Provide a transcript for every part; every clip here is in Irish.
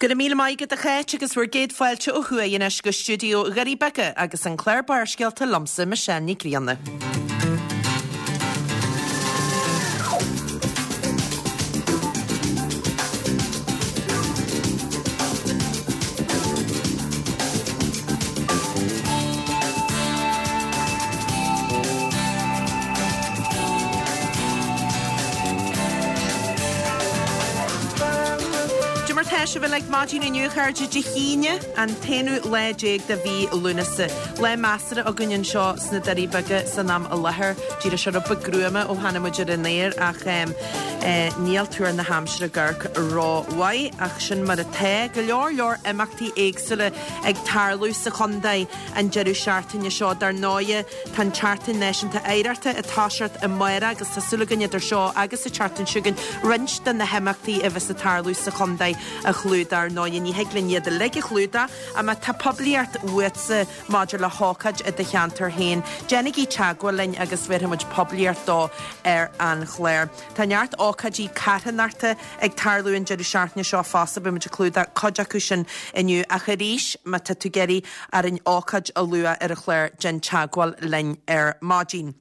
Go raibh míle maith agat a Cháit agus bhur gcéad fáilte ó thuaidh anois go stiúideo Dhoirí Beaga agus an clár Barrscéalta liomsa Michelle Ní Grianna. Cad é mar tá sibh uilig maidin inniu, a chairde, Dé hAoine, an t-aonú lá déag de mhí Lúnasa. Lá measartha againn anseo sna Doirí Beaga san am i láthair. D'éirigh sé rud beag gruama ó tháinig muid ar an aer ach níl tuar na haimsire ag amharc rómhaith ach sin mar atá. Go leor leor imeachtaí éagsúla ag tarlú sa chontae an deireadh seachtaine seo. Dar ndóighe, tá an tSeachtain Náisiúnta Oidhreachta ag toiseacht amárach agus tá súil againn idir seo agus an tseachtain seo chugainn roinnt de na himeachtaí a bheas ag tarlú sa chontae a chlúdach. Ar ndóighe, ní thig linn iad uilig a chlúdach ach má tá poiblíocht uaitse maidir le hócáid i do cheantar féin, déanaigí teagmháil linn agus bhéarfaidh muid poiblíocht dó ar an chlár. Tá neart ócáidí carthanachta ag tarlú an deireadh seachtaine seo fosta, beidh muid ag clúdach cuid acu sin inniu ach arís má tá tú ag iarraidh orainn ócáid a lua ar an chlár déan teagmháil linn ar maidin.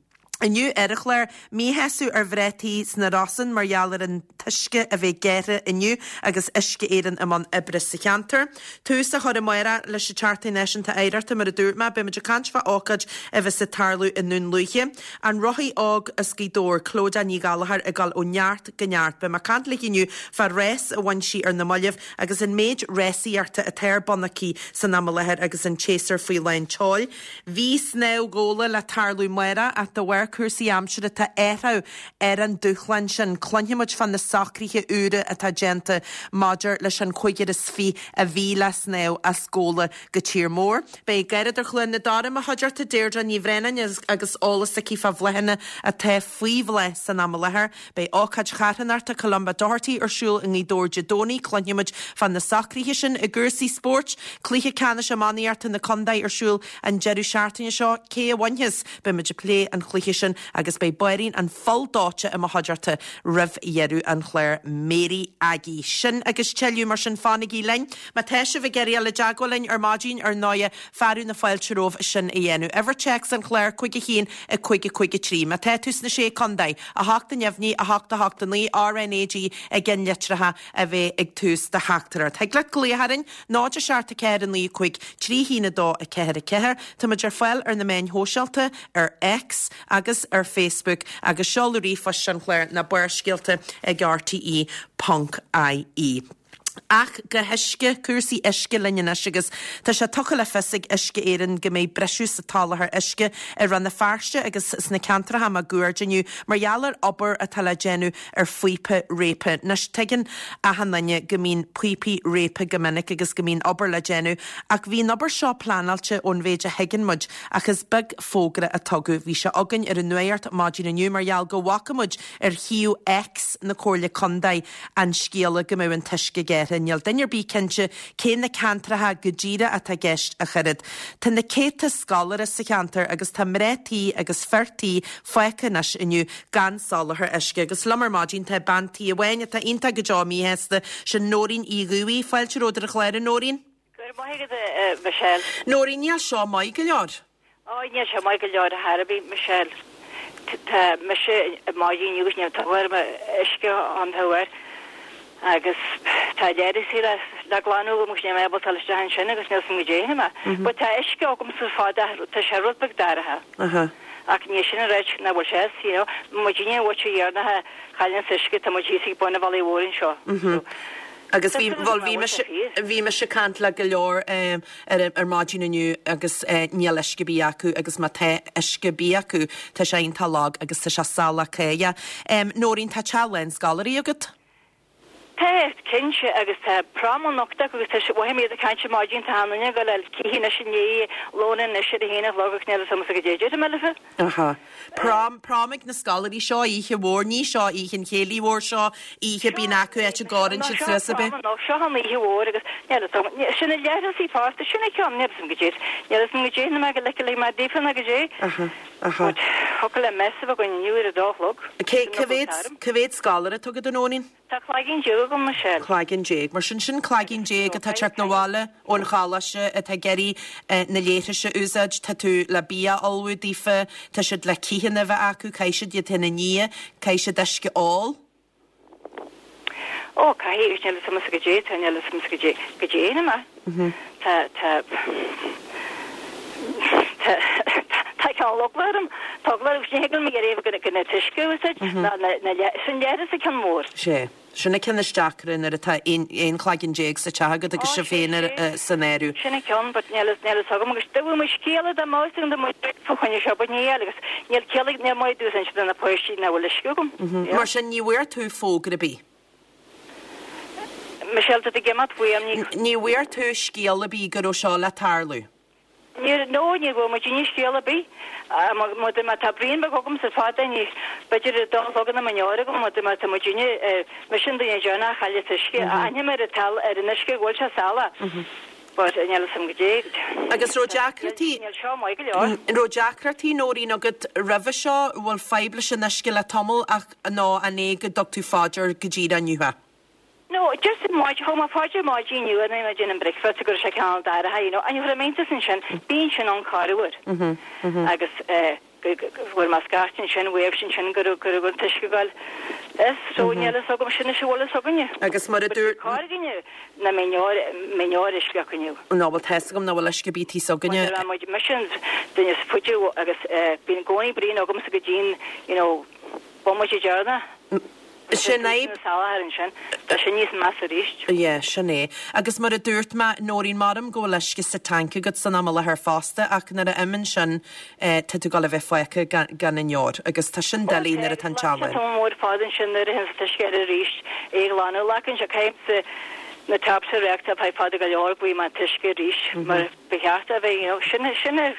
Inniu ar an chlár, míshásamh ar mhná tí sna Rosann mar gheall ar an t-uisce a bheith gearrtha inniu agus Uisce Éireann i mbun oibre sa cheantar. Tús á chur amárach leis an tSeachtain Náisiúnta Oidhreachta mar a dúirt mé, beidh muid ag caint fá ócáid a bheas ag tarlú i nDún Lúiche. An rothaí óg as Gaoth Dobhair, Clodagh Ní Ghallchóir ag dul ó neart go neart. Beidh mé ag caint léi inniu fá rás a bhain sí ar na mallaibh agus an méid rásaíochta atá ar bun aici san am i láthair agus an tséasúr faoi lán tseoil. Bhí snámh Ghabhla le tarlú amárach ach de bharr cúrsaí aimsire tá athrú ar an dúshlán sin. Cluinfidh muid fá na socruithe úra atá déanta maidir leis an chúigear is fiche a bhí le snámh as Gabhla go tír mór. Beidh Garradóir Chluain na Dara i mo chuideachta, Deirdre Ní Bhraonáin, agus eolas aici fá bhláthanna atá faoi bhláth san am i láthair. Beidh ócáid charthanachta Columba Doherty ar siúl i nGaoth Dobhair Dé Domhnaigh. Cluinfidh muid fá na socruithe sin. I gcúrsaí spóirt, cluiche ceannais iománaíochta na contae ar siúl an deireadh seachtaine seo. Cé a bhainfeas? Beidh muid ag plé an chluiche sin agus beidh báirín an phoill dóite i mo chuideachta roimh dheireadh an chláir. Mary Aggie. Sin agus tuilleadh, mar sin fanaigí linn. Má tá sibh ag iarraidh dul i dteagmháil linn ar maidin, ar ndóighe, fearadh na fáilte romhaibh sin a dhéanamh. Uimhir téacs an chláir, 5 1 5 5 3. Má tá tú sna Sé Contae, 8 neamhní, 8 8 9, RnaG i gceannlitreacha a bheidh ag tús do theachtaireacht. Thig leat glaoch orainn, 0 7 4 9 5 3 1 2 4 4. Tá muid ar fáil ar na meáin shóisialta, ar X agus ar Facebook, agus seoladh ríomhphoist an chláir ná barrscéalta ag rte ponc ie. Ach go huisce, cúrsaí uisce linn anois agus tá sé tugtha le fios ag Uisce Éireann go mbeidh briseadh sa tsoláthar uisce i Rann na Feirste agus sna ceantracha máguaird inniu mar gheall ar obair atá le déanamh ar phíopa réabtha. Anois tuigeann achan duine go mbíonn píopaí réabtha go minic agus go mbíonn obair le déanamh ach bhí an obair seo pleanáilte ón mhéid a thuigeann muid ach is beag fógra a tugadh. Bhí sé againn ar an nuacht maidin inniu mar gheall go bhfaca muid ar shuíomh X na Comhairle Contae an scéala go mbeadh an t-uisce gearrtha. Níl duine ar bith cinnte cé na ceantracha go díreach atá i gceist ach oiread. Tá na céadta scoláire sa cheantar agus tá mná tí agus fir tí fágtha anois inniu gan soláthar uisce. Agus liom ar maidin tá bean tí amháin atá iontach go deo míshásta, sin Nóirín Uí Dhubhthaigh. Fáilte romhat ar an chlár, a Nóirín. Go raibh maith agat, a Mhichelle. Nóirín, níl seo maith go leor. Á, níl sé maith go leor ar chor ar bith, Michelle. Tá mise ar maidin inniu agus níl tuar uisce ann thuar agus tá leithreasaí le le glanadh agam agus níl mé ábalta dul isteach ansin agus níl 's agam goidé a dhéanfaidh mé. But tá uisce agamsa fad ach tá sé rud beag dorcha. Ach níl sin ag ráit nach bhfuil sé, you know. Muidinne an bhuaite dheireanach a chailleanns uisce, tá muid thíos ag bun an bhealaigh mhóir anseo. So. Agus bhí, bhuel, bhí mise, bhí mise ag caint le go leor ar, ar maidin inniu agus níl uisce ar bith acu agus má tá uisce ar bith acu tá sé iontach lag agus tá sé salach cáidheach. Nóirín, tá teach lán scoláirí agat? Tá, cinnte, agus tá prom anocht acu agus tá, mhothaigh mé iad ag caint ar maidin, tá achan duine ag dul a cith anois i ndiaidh lóin anois ar a haon a chlog ach níl a fhios agamsa goidé a déarfaidh mé leofa. Aha. Prom, prom ag na scoláirí, seo oíche mhór, ní seo oíche an chéilí mhóir, seo oíche bíonn acu áit a gcomhaireann siad suas ab ea? Seo prom, seo an oíche mhór agus níl a fhios agam, sin na leithreasaí fosta, sin an ceann, níl a fhios agam goidé, níl a fhios agam goidé, na mé go leice le mé daofa ná goidé. Aha, aha. But. Thiocfadh le mess a bheith againn inniu ar a dó a chlog. Cé, cá mhéad, cá mhéad scoláire atá agat, a Nóirín? Tá cloigeann déag agam, Michelle. Cloigeann déag. Mar sin, sin cloigeann déag atá ag teacht 'na bhaile ón choláiste atá ag iarraidh na leithris a úsáid. Tá tú le bia a ullmhú daofa, tá siad le cítheanna a bheith acu, caithfidh siad iad féin a ní, caithfidh siad uisce a ól. Ó, caithfidh, níl fhios a'msa goidé, tá, níl fhios a'msa goidé, goidé a dhéanfaidh mé. Tá, tá, tá, tá cineál eagla orm, tá eagla orm, ní thig liom iarraidh go, go na t-uisce a úsáid, ná na, na le, sin leithreas an ceann mór. Sé. Sin an ceann is deacra nuair atá aon chloigeann déag sa teach agat agus sibh féin san áireamh. Sin an ceann, but níl fhios, níl fhios agam agus dá bhfuair muid scéala dá mbeadh fhios agam dá mbeadh fá choinne seo, but níl agus níl ciall ag, níl maith domhsa inse do na páistí nach bhfuil uisce agam. Mar sin ní bhfuair tú fógra ar bith? Michelle, tá tú ag imeacht uaim, ní. Ní bhfuair tú scéal ar bith go raibh seo le tarlú? Níor, no, ní bhfuair muid aon scéal ar bith. Má má tá braon beag agamsa fada, ní, b'fhéidir ar a dó a chlog ina mbeidh agam, má má tá muidinne, mise an duine deireanach a chailleas uisce, aithním ar an tal, ar an uisce go bhfuil sé salach. But níl fhios a'm goidé. Agus raibh deacrachtaí, Níl seo maith go leor. raibh deacrachtaí Nóirín agat roimhe seo, bhfuil fadhb leis an uisce le tamall ach nó an é go dtug tú fá dear go díreach inniu é? No, just ar maidin, thug mé fá dear ar maidin inniu nuair a bhí mé ag déanamh bricfeasta go raibh sé cineál dorcha, you know, and chuir mé iontas ansin, bíonn sin ann corruair. Agus eh, fuair mé scairt ansin, wave ansin go raibh, go raibh an t-uisce ag goil as, so níl fhios agam, sin is a bhfuil fhios againne. Agus mar a dúirt. But cár againne nach mbeidh neoir, mbeidh neoir uisce acu inniu. Ná bhfuil tá fhios agam nach bhfuil uisce ar bith thíos againne. Mar tá muid, mise an duine is faide agus eh, bíonn i gcónaí braon agamsa go dtí'n, you know, bomaite deireanach. Sin é. Ansin, tá sin níos measa arís. Yeah, sin é. Agus mar a dúirt mé, Nóirín, maram go bhfuil uisce sa tanc agat san am i láthair fosta ach nuair a imíonn sin tá tú ag dul a bheith fágtha gan aon ndeoir agus tá sin doiligh nuair atá an teaghlach. Tá mór fad ansin nuair a théann an t-uisce air arís é a ghlanadh. Glacann sé caithfidh na taps a reáchtáil feadh fada go leor go bhfaighidh mé an t-uisce arís mar ba cheart é a bheith, you know, sin, sin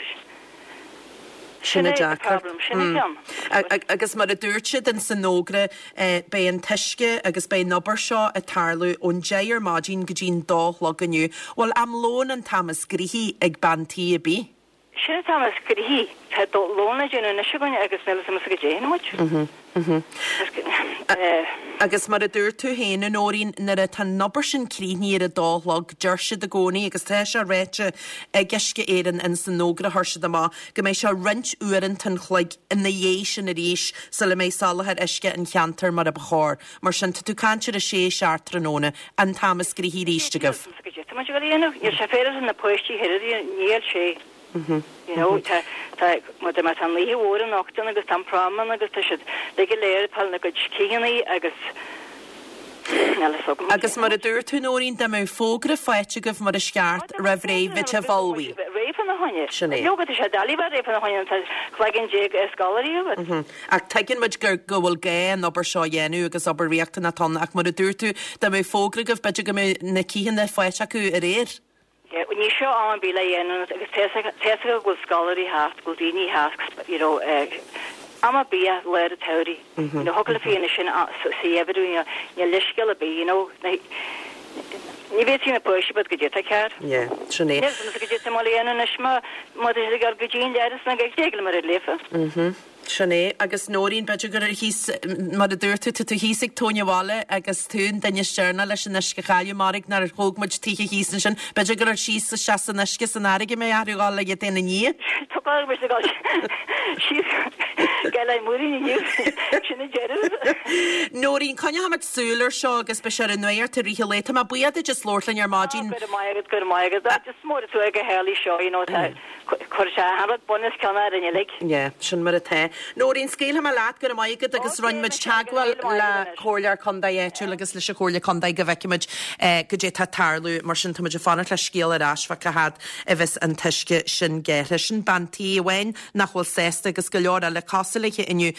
Sin an deacracht. Sin an ceann. Agus mar a dúirt siad in san fhógra, beidh an t-uisce agus beidh an obair seo ag tarlú ón deich ar maidin go dtí'n dó a chlog inniu. Bhuel, am lóin an t-am is gnoithí ag bean tí ar bith. Sin an t-am is gnoithí. Tá lón le déanamh anois againn agus níl fhios a'msa goidé a dhéanfaidh muid. Agus mar a dúirt tú féin, a Nóirín, nuair atá an obair sin críochnaithe ar a dó a chlog, deir siad i gcónaí, agus tá sé ráite ag Uisce Éireann ins an fhógra a chuir siad amach, go mbeidh sé roinnt uaireanta an chloig ina dhiaidh sin arís sula mbeidh soláthar uisce an cheantair mar a ba chóir. Mar sin, tá tú ag caint ar a sé, seacht tráthnóna, an t-am is gnoithí arís agaibh. Tá muid ag dul a dhéanamh, níl sé féaráilte na páistí thoir a níl sé. You know, tá, tá, má tá, má tá an oíche mhór anocht ann agus tá an prom ann agus tá siad uilig go léir ag fáil na gcuid cícheannaí agus níl fhios agam. Agus mar a dúirt tú, Nóirín, dá mbeadh fógra faighte agaibh mar is ceart roimh ré, bheadh sibh ullmhaithe. Réidh fána choinne. Sin é. Leoga, tá sé doiligh bheith réidh fána choinne tá cloigeann déag scoláirí agat. Ach tuigeann muid gur, go bhfuil gá an obair seo a dhéanamh agus obair riachtanach atá ann ach mar a dúirt tú, dá mbeadh fógra agaibh, b'fhéidir go mbeadh na cícheanna faighte acu aréir. Ní seo am ar bith le dhéanamh agus tá fhios acu go bhfuil scoláirí thart, go bhfuil daoine thart, you know, am ar bith i lár an tsamhraidh. You know, thiocfadh le fianna sin sa gheimhreadh, you know, níl leithscéal ar bith, you know, ní bhféadfaí na páistí but goidé tá cearr. Yeah, sin é. Níl fhios a'msa goidé tá mé le dhéanamh anois má má tá siad ag dul go dtí an leithreas nó ag déag le mar a léifeá. Sin é. Agus Nóirín, b'fhéidir gur thíos, mar a dúirt tú, tá tú thíos ag tóin an bhalla agus tú an duine is deireanach leis an uisce a chailleadh, mairg nár thóg muid tithe thíos ansin. B'fhéidir gur síos isteach san uisce san fharraige a mbeidh orthu dhul le iad féin a ní. Tá gá mise a dhul síos go Leitir Móir inniu. Sin an deireadh. Nóirín, coinneochaimid súil ar seo agus beidh sé ar an nuacht i rith an lae. Tá mé buíoch duit as labhairt linn ar maidin. Go raibh maith agat, go raibh maith agat. Just mór tú ag a tharlaigh seo, you know, tá. Chuir sé achan rud bun os cionn orainn uilig. Yeah, sin mar atá. Nóirín, scaoilfidh mé leat, go raibh maith agat agus rinne muid teagmháil le Comhairleoir Contae áitiúil agus leis an Chomhairle Contae go bhfeicfidh muid goidé atá ag tarlú. Mar sin, tá muid ag fanacht le scéal ar ais fá cá fhad a bheas an t-uisce sin gearrtha. Sin bean tí amháin nach bhfuil sásta agus go leor eile cosúil léi inniu,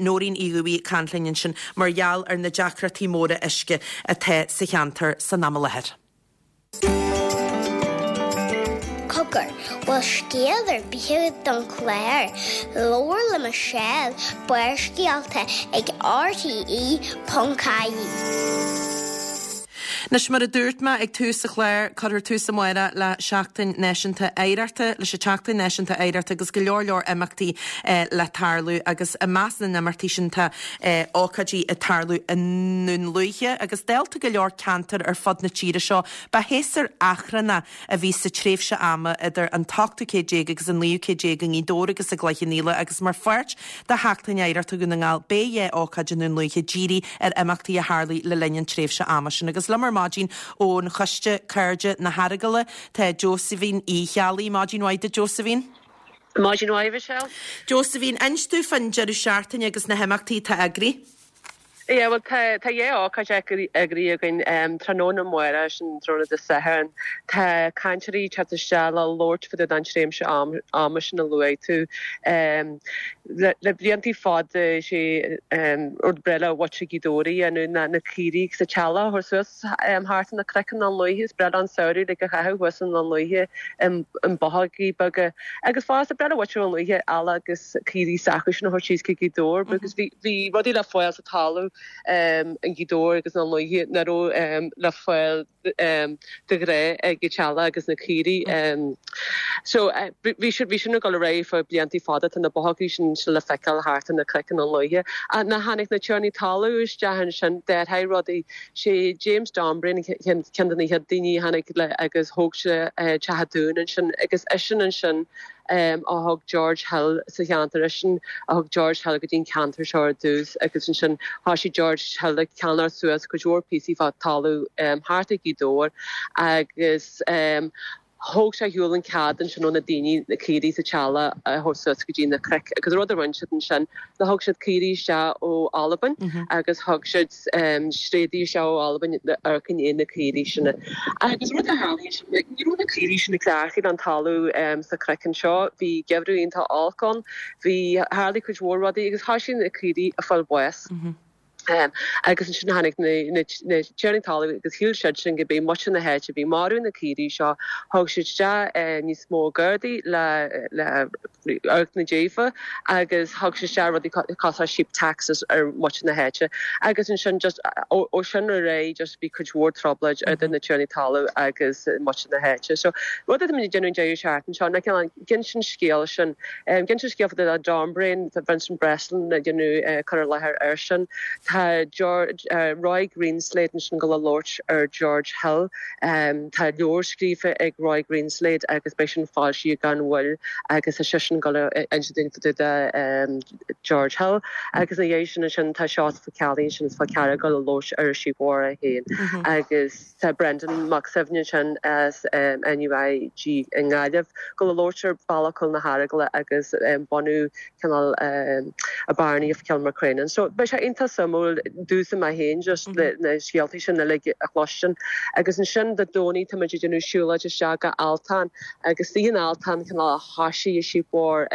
Nóirín Uí Dhubhthaigh ag caint linn ansin mar gheall ar na deacrachtaí móra uisce atá sa cheantar san am i láthair. Cogar, bhfuil scéal ar bith agat don chlár? Labhair le Michelle, Barrscéalta ag RTE.ie. Anois, mar a dúirt mé ag tús an chláir, cuirfear tús amárach le Seachtain Náisiúnta Oidhreachta, leis an tSeachtain Náisiúnta Oidhreachta agus go leor leor imeachtaí le tarlú agus i measc na n-imeachtaí sin tá ócáidí ag tarlú i nDún Lúiche agus dálta go leor ceantar ar fud na tíre seo, ba shéasúr achrannach a bhí sa tréimhse ama idir an t-ochtú céad déag agus an naoú céad déag i nGaoth Dobhair agus i gCloich Cheann Fhaola agus mar pháirt de Sheachtain Oidhreachta Dhún na nGall beidh dhá ócáid i nDún Lúiche dírithe ar imeachtaí a tharlaigh le linn an tréimhse ama sin. Agus liom ar maidin ón choiste Cairde na hEaragaile tá Josephine Uí Cheallaigh. Maidin mhaith duit Josephine. Maidin mhaith Michelle. Josephine, inis dúinn fán deireadh seachtaine agus na himeachtaí atá eagraithe. Yeah, bhuel tá tá dhá ócáid eagraithe againn tráthnóna amárach, sin tráthnóna Dé Sathairn. Tá cainteoirí ag teacht isteach le labhairt fá dtaobh den tréimhse ama sin a luaigh tú. Le le bliantaí fada is é rud breá le muintir Ghaoth Dobhair a dhéanamh ná na caoirigh agus an teaghlach a thabhairt suas thart ar na cnoic i nDún Lúiche. Is breá leo an samhradh uilig a chaitheamh thuas i nDún Lúiche i mbothógaí beaga. Agus fosta, breá le muintir Dhún Lúiche eallach agus caoirigh s'acusan a thabhairt síos go Gaoth Dobhair because bhí bhí rudaí le fáil sa talamh i nGaoth Dobhair agus i nDún Lúiche nach raibh le fáil de ghnáth ag an teaghlach agus na caoirigh. So bhí sin bhí sin ag dul ar aghaidh fá bliantaí fada, tá na bothógaí sin still le feiceáil thart ar na cnoic i nDún Lúiche. Ach nuair a tháinig na tiarnaí talún isteach ansin, d'athraigh rudaí. Sé James Dombrain ceann de na chéad daoine a tháinig le agus thóg sé Teach an Dúin ansin agus eisean ansin a thug George Hill sa cheantar, eisean a thug George Hill go dtí an ceantar seo ar dtús agus ansin thoisigh George Hill ag ceannacht suas cuid mhór píosaí fá talamh thart ag Gaoth Dobhair agus Thóg sé ar shiúl an cead ansin ó na daoine na caoirigh is an teaghlach a thabhairt suas go dtí na cnoic agus rud a rinne siad ansin ná thug siad caoirigh isteach ó Albain agus thug siad tréadaí isteach ó Albain le amharc i ndiaidh na caoirigh sin. Agus rud a tharlaigh ansin ní raibh na caoirigh sin cleachtaithe don talamh sna cnoic anseo, bhí geimhreadh iontach olc ann, bhí, tharlaigh cuid mhór rudaí agus thoisigh na caoirigh a fáil bháis. Agus ansin tháinig na tiarnaí talún agus shíl siadsan go b'é muintir na háite a bhí ag marú na caoirigh seo. Thug siad isteach níos mó gardaí le amharc ina dtaobh agus thug siad isteach rudaí cosúil le sheep taxes ar mhuintir na háite. Agus ansin just ó sin ar aghaidh just bhí cuid mhór trioblóid idir na tiarnaí talún agus muintir na háite. So rud atá muid ag déanamh an deireadh seachtaine seo ná cineál ag insint an scéal sin. Ag insint scéal fá dtaobh de Dombrain, tá Vincent Breslin ag déanamh cur i láthair air sin. Tá Roy Greenslade ansin ag dul a labhairt ar George Hill. Tá leabhar scríofa ag Roy Greenslade agus beidh sin foilsithe gan mhoill agus tá seisean ag dul a inse dúinn fá dtaobh de George Hill. Agus ina dhiaidh sin ansin tá Seosamh Ó Ceallaigh ansin as Fál Carrach ag dul a labhairt ar an Sheep War é féin agus. Tá Brendan Mac Suibhne ansin as NUIG i nGaillimh ag dul a labhairt ar Bhealach Cúil na hEaragaile agus bunú cineál an Barony of Kilmacrennan. So beidh sé iontach suimiúil domhsa mé féin just na scéaltaí sin uilig a chloistin. Agus ansin Dé Domhnaigh tá muid ag déanamh siúlóid isteach go Altán agus istigh in Altán cineál a thoisigh an Sheep War.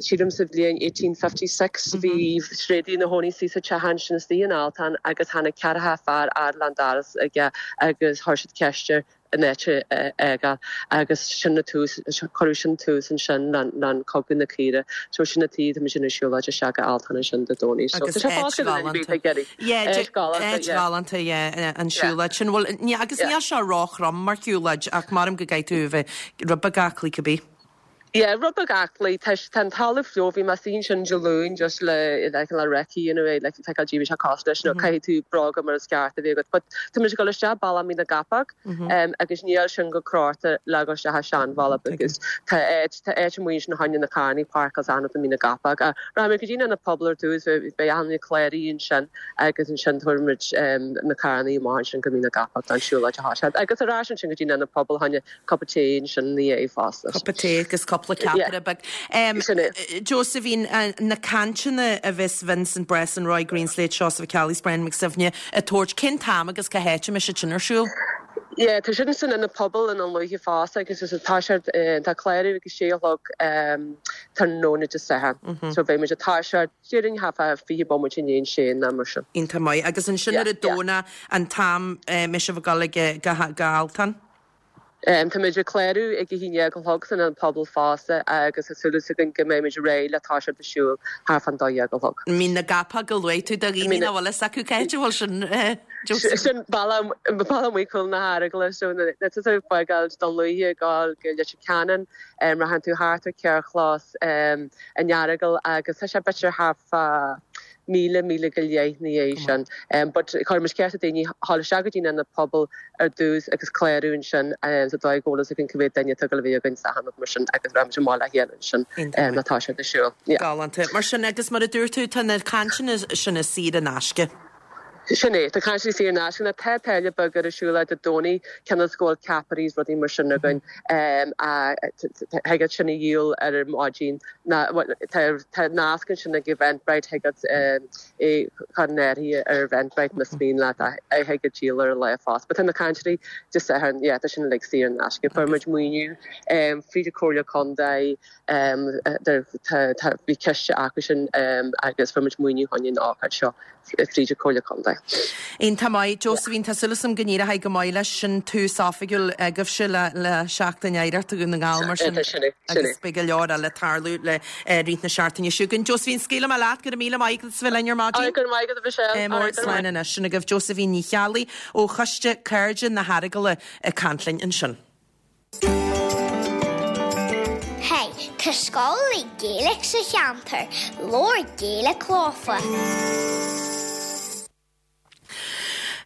Sílim sa bhliain 1856 bhí tréadaí ina chónaí istigh sa teach ansin istigh in Altán agus tháinig ceathracha fear fhad leis an doras aige agus chuir siad ceist air an áit a fhágáil agus sin an tús, cuireadh sin tús ansin le Cogadh na Caoire. So sin an tuige tá muid ag déanamh siúlóid isteach go Altán ansin Dé Domhnaigh. So tá sé fágtha do duine ar bith ag iarraidh. Áit galánta, yeah. Áit ghalánta, yeah, an siúlóid sin. Bhuel, agus níl sé róthrom mar shiúlóid ach maram go gcaithfidh tú a bheith rud beag aclaí cibé. Yeah, rud beag aclaí. Tá tá an talamh fliuch, bhí mé istigh ansin Dé Luain just le le cineál recce a dhéanamh le feiceáil caidé a bhí sé cosúil leis nó caithfidh tú bróga mar is ceart a bheith agat. But tá muid ag dul isteach bealach Mín na gCapóg agus níl sin go crochta le dul isteach an seanbhealach because tá áit tá áit amuigh ansin fá choinne na carrannaí páirceáil is achan rud i Mín na gCapóg. Rachaidh muid go dtí an Ionad Pobail ar dtús beidh achan duine cláraithe ansin agus ansin tabharfaidh muid na carrannaí amach ansin go Mín na gCapóg don siúlóid a thoiseacht agus ar ais ansin go dtí an Ionad Pobail fá choinne Cupa tae ansin ina dhiaidh fosta. Cupa tae agus cúpla ceapaire beag. Sin é. Josephine, na cainteanna a bheas Vincent Breslin, Roy Greenslade, Seosamh Ó Ceallaigh 's Brendan McSuibhne ag tabhairt, cén t-am agus cá háit a mbeidh siad sin ar siúl? Yeah, tá siad san Ionad Pobail i nDún Lúiche fosta agus is tá siad, tá clárú ag a sé a chlog tráthnóna Dé Sathairn. So beidh muid ag toiseacht déarfainn thart fá 20 bomaite i ndiaidh a sé nó mar sin. Iontach maith. Agus ansin ar an Domhnach an t-am a mbeidh sibh ag dul ag go Altán? Táimid ag clárú ag a haon dhéag a chlog san Ionad Pobail fosta agus tá súil againn go mbeimid réidh le toiseacht ag siúl thart fán dó dhéag a chlog. Mín na gCapall a luaigh tú do dhaoine nach bhfuil fhios acu cá háit a bhfuil sin, Josephine. Sin bealach amuigh Chúl na hEaragala so nuair atá tú ag fágáil Dún Lúiche ag gabháil go Leitir Ceanainn rachann tú thart ar Carrchlós an Earagail agus tá sé b'fhéidir thart fá míle, míle go leith ina dhiaidh sin. But cuireann muid ceist ar daoine dhul isteach go dtí an Ionad Pobail ar dtús agus clárú ansin sa dóigh go bhfuil fhios againn cá mhéad duine atá ag dul a bheith againn sa ionad mar sin agus rachaimid amach le chéile ansin nuair atá siad ag siúl. Yeah. Galánta. Mar sin agus mar a dúirt tú tá na cainteanna sin saor in aisce. Sin é. Tá cainteanna saor in aisce. Now tá táille beag ar an siúl Dé Domhnaigh cionn is go bhfuil ceapairí is rudaí mar sin againn thig leat sin a dhíol ar an maidin. Tá nasc ansin ag Eventbrite thig leat é chur in áirithe ar Eventbrite más mian leat é thig leat díol ar an lá fosta. But tá na cainteoirí Dé Sathairn, yeah, tá sin uilig saor in aisce. Fuair muid maoiniú fríd an Comhairle Contae, bhí ciste acu sin agus fuair muid maoiniú chun an ócáid seo. fríd an Comhairle Contae. Iontach maith. Josephine, tá súil agam go n-éireoidh go maith leis. Sin tús oifigiúil agaibhse le Seachtain Oidhreachta Dhún na nGall mar sin agus beidh go leor eile ag tarlú le rith na seachtaine seo chugainn. Josephine, scaoilfidh mé leat. Go raibh míle maith agat as bheith linn ar maidin. Go raibh maith agat, a Mhichelle. Mór slán anois. Sin agaibh Josephine Ní Cheallaigh ó Choiste Cairde na hEaragaile ag caint linn ansin. Hey, tá scoil le Gaeilge sa cheantar, labhair Gaeilge leofa.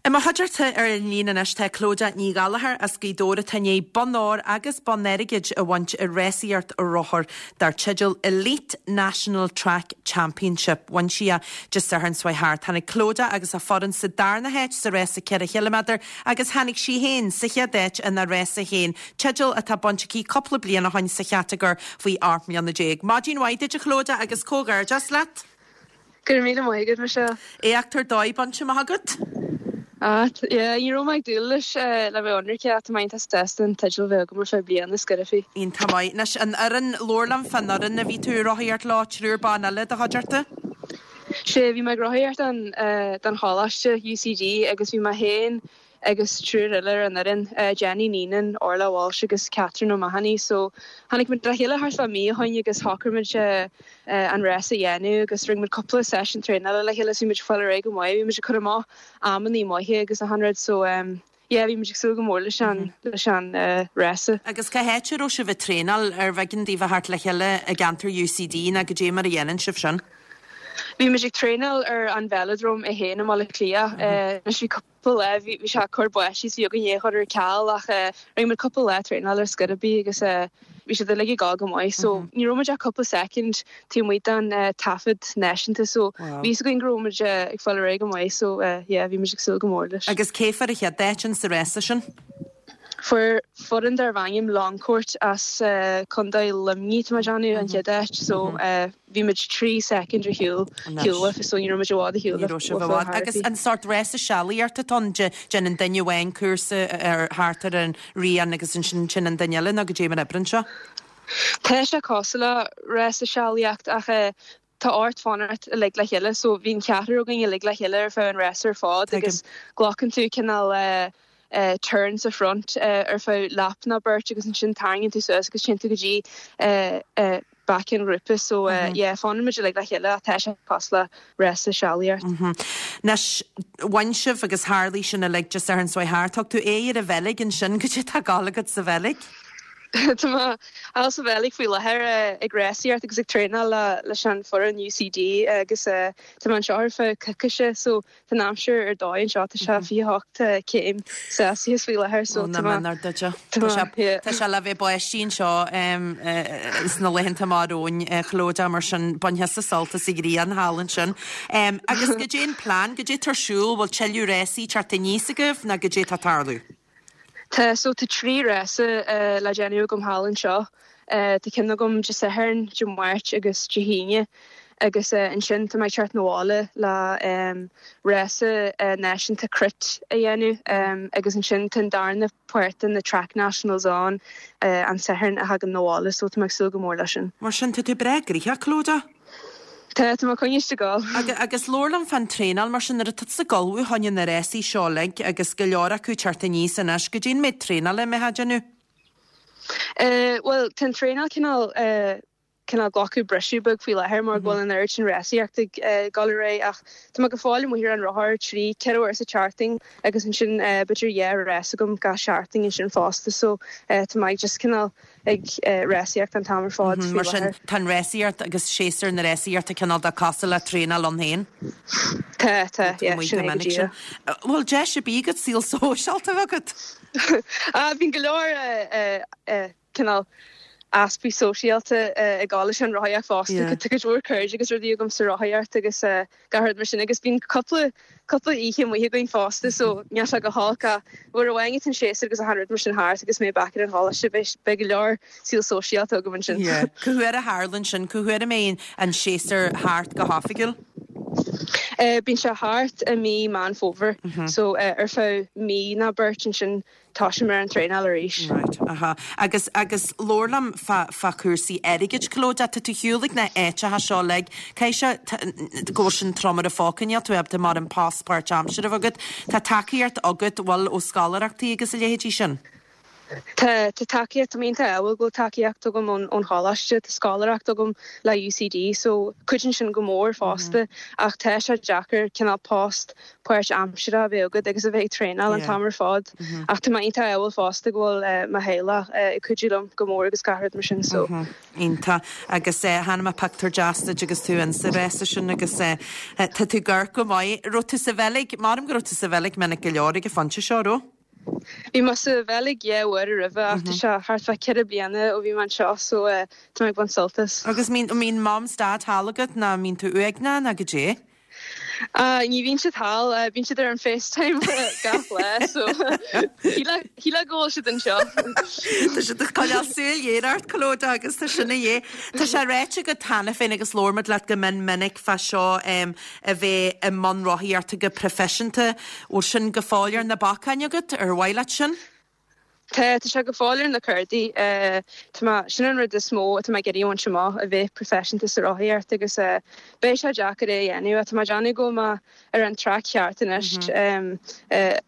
I mo chuideachta ar an líne anois tá Clodagh Ní Ghallchóir as Gaoth Dobhair atá i ndiaidh bonn óir agus bonn airgid a bhaint i rásaíocht rothar dar teideal Elite National Track Championship. Bhain sí é Dé Sathairn seo thart. Tháinig Clodagh agus a foireann sa darna háit sa rása 4 chiliméadar Agus tháinig sí féin sa chéad áit ina rása féin, teideal atá bainte aici cúpla bliain ó shoin sa chatagóir faoi 18 mbliana. Maidin mhaith duit a Chlodagh agus comhghairdeas leat! Go raibh míle maith agat, Michelle. Éacht ar dóigh bainte amach agat. Ah, yeah, ní raibh mé ag dúil leis le bheith ionraic ach tá mé iontach sásta an teideal a bheith agam ar feadh bliana ar scor ar bith. Iontach maith. Anois, an fhoireann, labhair liom fán fhoireann a bhí tú ag rothaíocht leo, triúr ban eile i do chuideachta? Sea, bhí mé ag rothaíocht don choláiste, UCD, agus bhí mé féin agus triúr eile ar an fhoireann, Jenny Neenan, Orla Walsh agus Catherine O'Mahony. So, tháinig muid le chéile thart fá mí ó shoin agus shocraigh muid an rás a dhéanamh agus rinne muid cúpla seisiún traenála le chéile so bhí muid ag fáil ar aghaidh go maith, bhí muid ag cur amach amannaí maithe agus achan rud so, Yeah, bhí muid ag súil go mór leis an, leis an rása. Agus cá háit a raibh sibh ag traenáil? Arbh éigean daoibh a theacht le chéile i gceantar UCD nó goidé mar a dhéanann sibh sin? Bhí muid ag traenáil ar an Velodrome é féin i mBaile Átha Cliath. Anois bhí cúpla lá, bhí, bhí sé ag cur báistí so bhí againn é a chur ar ceal ach rinne muid cúpla lá traenáil ar scor ar bith agus bhí siad uilig ag gabháil go maith so ní raibh muid ach cúpla soicind taobh amuigh den taifead náisiúnta so bhí fhios againn go raibh muid ag fáil ar aghaidh go maith so yeah bhí muid ag súil go mór leis. Agus cé fuair an chéad áit in sa rása sin? Fuair foireann darbh ainm Longcourt as Contae Luimnigh tá mé ag déanamh an chéad áit so bhí muid 3 soicind ar shiúl shiúl uafa so ní raibh muid i bhfad ar shiúl Ní raibh sibh i bhfad. Agus an sórt rása sealaíochta atá ann, déanann duine amháin cúrsa ar thart ar an rian agus ansin téann an duine eile nó goidé mar a oibríonn sé? Tá sé cosúil le rása sealaíocht ach tá ort fanacht uilig le chéile so bhí an ceathrar againn uilig le chéile ar feadh an rása ar fad agus glacann tú cineál turn sa front ar feadh lap nó beirt agus ansin tarraingíonn tú suas agus téann tú go dtí back an ghrúpa so yeah fanann muid uilig le chéile ach tá sé cosúil le rása sealaíocht. Anois, bhain sibh agus tharlaigh sin uilig Dé Sathairn seo thart. Thug tú aghaidh ar an Bheilg ansin, goidé tá ag gabháil agat sa Bheilg? Tá mé thall sa Bheilg faoi láthair ag rásaíocht agus ag traenáil leis an foireann UCD agus tá mé anseo ar feadh coicíse so Tá an aimsir ar dóigh anseo, tá sé 28 céim Celsius faoi láthair so tá mé, tá mé, tá sé le bheith báistí anseo sna laethanta amach romhainn, a Chlodagh, mar sin bain thusa sult as an ghrian thall ansin. Agus goidé an plean, goidé tá ar siúl, bhfuil tuilleadh rásaí teacht aníos agaibh nó goidé tá ag tarlú? Tá, so tá 3 rása le déanamh agam thall anseo. Tá ceann agam Dé Sathairn, Dé Máirt agus Dé hAoine agus ansin tá mé ag teacht 'na bhaile le rása náisiúnta crit a dhéanamh agus ansin tá an darna páirt de na Track Nationals ann an Satharn a thagann 'na bhaile so tá mé ag súil go mór leis sin. Mar sin tá tú breá gnoitheach, Clodagh. Tá, tá mé coinnithe ag gabháil. Agus labhair liom fán traenáil, mar sin, nuair atá tusa ag ullmhú fá choinne na rásaí seo uilig, agus go leor acu ag teacht aníos anois, goidé an méid traenála a mbeifeá ag déanamh? Bhuel, tá an traenáil cineál, cineál glacadh briseadh beag faoi láthair mar go bhfuil an oiread sin rásaíocht ag dul ar aghaidh ach tá mé go fóill amuigh ar an rothar trí, ceithre uair sa tseachtain agus ansin b'fhéidir dhá rás agam gach seachtain ansin fosta so tá mé just cineál ag rásaíocht an t-am ar fad faoi Mar sin láthair. tá an rásaíocht agus séasúr na rásaíochta cineál de cosúil le traenáil ann féin? Tá, tá, yeah, sin é go díreach. Bhfuil deis ar bith agat saol sóisialta a bheith agat? Ah, bíonn go leor cineál easpaí sóisialta ag gabháil leis an rothaíocht fosta. Tá cuid mhór cairde agus rudaí agam sa rothaíocht agus gach rud mar sin agus bíonn cúpla cúpla oíche amuigh againn fosta so níl sé go holc ach uair amháin atá an séasúr agus achan rud mar sin thart agus mé back ar an choláiste beidh beidh go leor saol sóisialta agam ansin. Yeah. Cá huair a tharlann sin? Cá huair a mbeidh an séasúr thart go hoifigiúil? Bíonn sé thart i mí Meán Fómhair so ar feadh mí nó beirt ansin Tosaím ar an traenáil arís. Right, aha. Agus, agus labhair liom fá, fá chúrsaí airgid, Clodagh, tá tú ar shiúl ag na háiteacha seo uilig, caithfidh sé go bhfuil sin trom ar an phóca, níl tú ábalta mórán post páirtaimseartha a bheith agat. Tá tacaíocht agat, bhfuil, ó scoláireachtaí agus a leithéidí sin? Tá, tá tacaíocht, tá mé iontach ádhúil go bhfuil tacaíocht agam ón, ón choláiste, tá scoláireacht agam le UCD so cuidíonn sin go mór fosta ach tá sé deacair cineál post páirtaimseartha a bheith agat agus a bheith ag traenáil an t-am ar fad. Ach tá mé iontach ádhúil fosta go bhfuil mo theaghlach ag cuidiú liom go mór agus gach rud mar sin so. Iontach. Agus chonaic mé pictiúr deas duit agus tú insa rása sin agus tá tú ag amharc go maith. Raibh tú sa Bheilg, maram go raibh tú sa Bheilg minic go leor ag an phointe seo, raibh? Bhí mé sa Bheilg dhá uair roimhe ach tá sé thart fá ceithre bliana ó bhí mé anseo so tá mé ag baint sult as. Agus mbíonn Mam 's Dad thall agat nó mbíonn tú uaigneach nó goidé? Ní bhíonn siad thall, bíonn siad ar an FaceTime gach lá so shílfeá go bhfuil siad anseo. Tá siad ag coinneáil súil ghéar ort, Clodagh, agus tá sin a dhíth. Tá sé ráite agat cheana féin agus labhair muid leat go mion minic fá seo a bheith i mbun rothaíochta go proifisiúnta. Bhfuil sin go fóill ar na bacáin agat? Ar mhaith leat sin? Tá, tá sé go fóill ar na cártaí. Tá mé, sin an rud is mó atá mé ag iarraidh a bhaint amach, a bheith proifisiúnta sa rothaíocht agus beidh sé deacair é a dhéanamh ach tá mé ag déanamh go bhfuil mé ar an traic cheart anois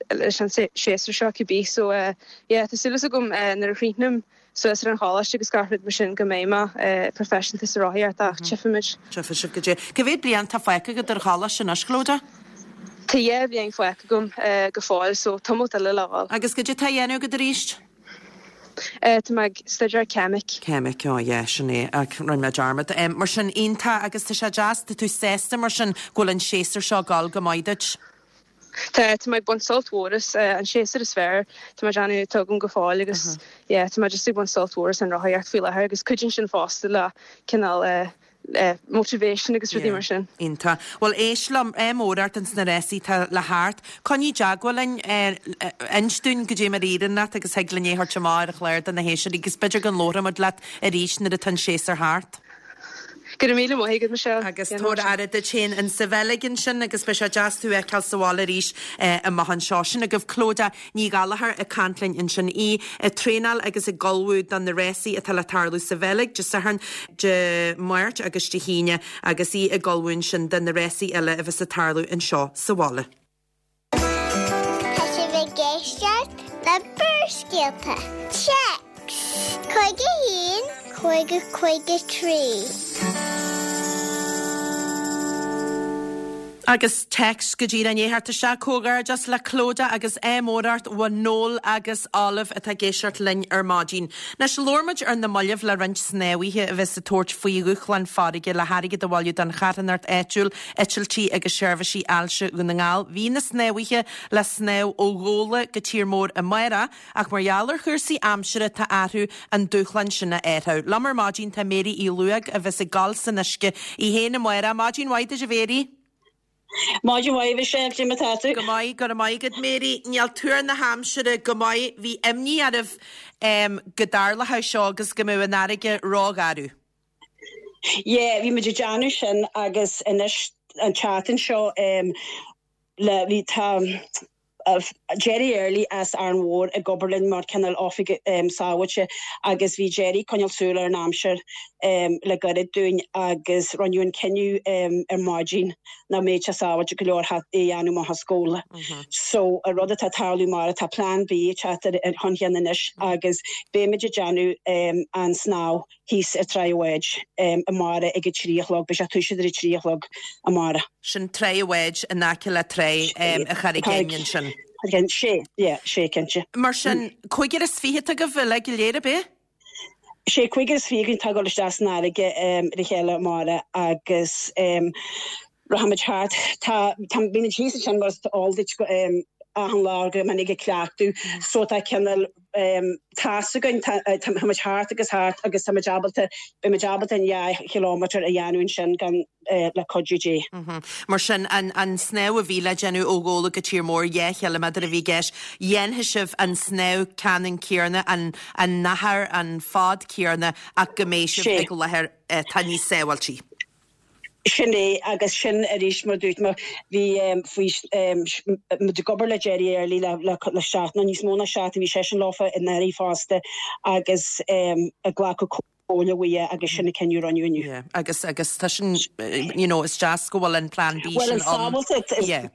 leis an séasúr seo cibé. So yeah, tá súil agam nuair a chríochnaím suas ar an choláiste agus gach rud mar sin go mbeidh mé proifisiúnta sa rothaíocht ach tchífimid. Tchífidh sibh goidé. Cá mhéad bliain atá fágtha agat ar choláiste anois, Clodagh? Tá dhá bhliain fágtha agam go fóill so tamalt eile le dhul. Agus goidé atá á dhéanamh agat arís? Tá mé ag staidéar ceimic. Ceimic, oh yeah, sin é, rinne mé dearmad. Mar sin, iontach agus tá sé deas, tá tú sásta mar sin go bhfuil an séasúr seo ag dul go maith duit? Tá, tá mé ag baint sult mhór as, an séasúr is fearr tá mé ag déanamh atá agam go fóill agus yeah, tá mé just ag baint sult mhór as an rothaíocht faoi láthair agus cuidíonn sin fosta le cineál motivation agus rudaí mar sin. Iontach. Bhuel, éist liom, ádh mór ort ins na rásaí atá le theacht. Coinnigh i dteagmháil linn, inis dúinn goidé mar a éiríonn leat agus thig linn é a thabhairt amach ar an chlár do na héisteoirí agus b'fhéidir go labhróidh muid leat arís nuair atá an séasúr thart. Go raibh míle maith agat, Michelle. Agus tabhair aire duit féin insa Bheilg ansin agus beidh sé deas tú a fheiceáil sa bhaile arís amach anseo. Sin agaibh Clodagh Ní Ghallchóir ag caint linn ansin, í ag traenáil agus ag ullmhú do na rásaí atá le tarlú sa Bheilg Dé Sathairn, Dé Máirt agus Dé hAoine agus í ag ullmhú ansin do na rásaí eile a bheas ag tarlú anseo sa bhaile. Tá sibh ag éisteacht le Barrscéalta. Téacs 51 50 53. Agus téacs go díreach i ndiaidh theacht isteach, Comhghairdeas le Clodagh agus ádh mór ort ó Noel agus Olive atá ag éisteacht linn ar maidin. Anois, labhair muid ar na mallaibh le roinnt snámhaithe a bheas ag tabhairt faoi dhúshlán farraige le hairgead a bhailiú don charthanacht áitiúil, Eitiltí agus Seirbhísí Ailse Dhún na nGall. Bhí na snámhaithe le snámh ó Ghabhla go Tír Mór amárach ach mar gheall ar chúrsaí aimsire tá orthu an dúshlán sin a athrú. Liom ar maidin tá Mary Uí Lubhaigh a bheas ag gabháil san uisce í féin amárach. Maidin mhaith duit a Mhary. Maidin mhaith a Mhichelle, cad é mar atá tú? Go maith, go raibh maith agat Mary. Níl tuar na haimsire go maith. Bhí imní oraibh go dtarlódh seo agus go mbeadh an fharraige rógharbh. Yeah, bhí muid ag déanamh sin agus anois an tseachtain seo le bhí tá. Gerry Early as Árainn Mhór ag obair linn mar cineál oifigeach sábháilte agus bhí Gerry ag coinneáil súil ar an aimsir le gairid dúinn agus rinneadh an cinneadh ar maidin nach mbeadh sé sábháilte go leor é a dhéanamh amach as Gabhla. So an rud atá ag tarlú mar tá plean B ag teacht chun cinn anois agus beimid ag déanamh an snámh thíos ar Tráigh a' Bháid amárach ag a 3 a chlog, beidh sé ag toiseacht ar a 3 a chlog amárach. Sin Tráigh a' Bháid in aice le Tráigh a' Charraig Fhinn ansin. Sé, yeah, sé cinnte. Mar sin, 25 atá agaibh uilig go léir, ab é? Sé 25 againn atá ag dul isteach san fharraige le chéile amárach agus rachaimid thart. Tá, tá, bímid thíos ansin mar is eol duit achan lá go minic ag cleachtadh so tá cineál tá's againn, tá, táimid thart agus thart agus táimid ábalta, beimid ábalta an 2 chileámeter a dhéanamh ansin gan, le cuidiú Dé. Mar sin, an an snámh a bhí le déanamh ó Ghabhla go Tír Mór, 2 chiliméadar a bhí i gceist, dhéanfaidh sibh an snámh ceannann céanna, an an achar, an fad céanna ach go mbeidh sibh ag láthair atá níos sábháiltí. Sin é, agus sin arís mar a dúirt mé, bhí faoi, muid ag obair le Gerry Early le le le seachtain, nó níos mó ná seachtain, bhí seisean leofa anuraidh fosta agus ag glacadh comhairle uaidh agus sin an cinneadh a rinneadh inniu. Yeah, agus, agus tá sin, you know, is deas go bhfuil an plean B Bhuel, sin an ann. sábháilteacht, is, Yeah.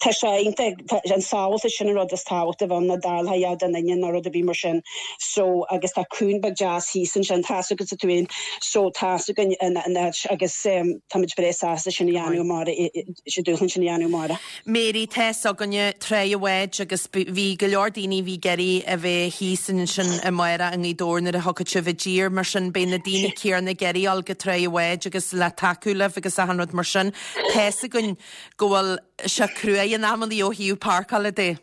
tá sé iontach, tá, an sábháilteacht sin an rud is tábhachtaí a bheith ann, nach dtarlódh a dhath do dhuine nó rud ar bith mar sin. So, agus tá cuan beag deas thíos ansin, tá's agatsa tú fhéin, so tá's againn an, an áit agus táimid breá sásta sin a dhéanamh amárach, an dúshlán sin a dhéanamh amárach. Mary, Tá's againne Tráigh a' Bháid agus bhí go leor daoine a bhí ag iarraidh a bheith thíos ansin amárach i nGaoth Dobhair nuair a thiocfadh sibh i dtír, mar sin beidh na daoine céanna ag iarraidh dul go Tráigh a' Bháid agus le tacú libh agus achan rud mar sin. Tá's againn go bhfuil sé cruaidh in amannaí ó thaobh páirceála de.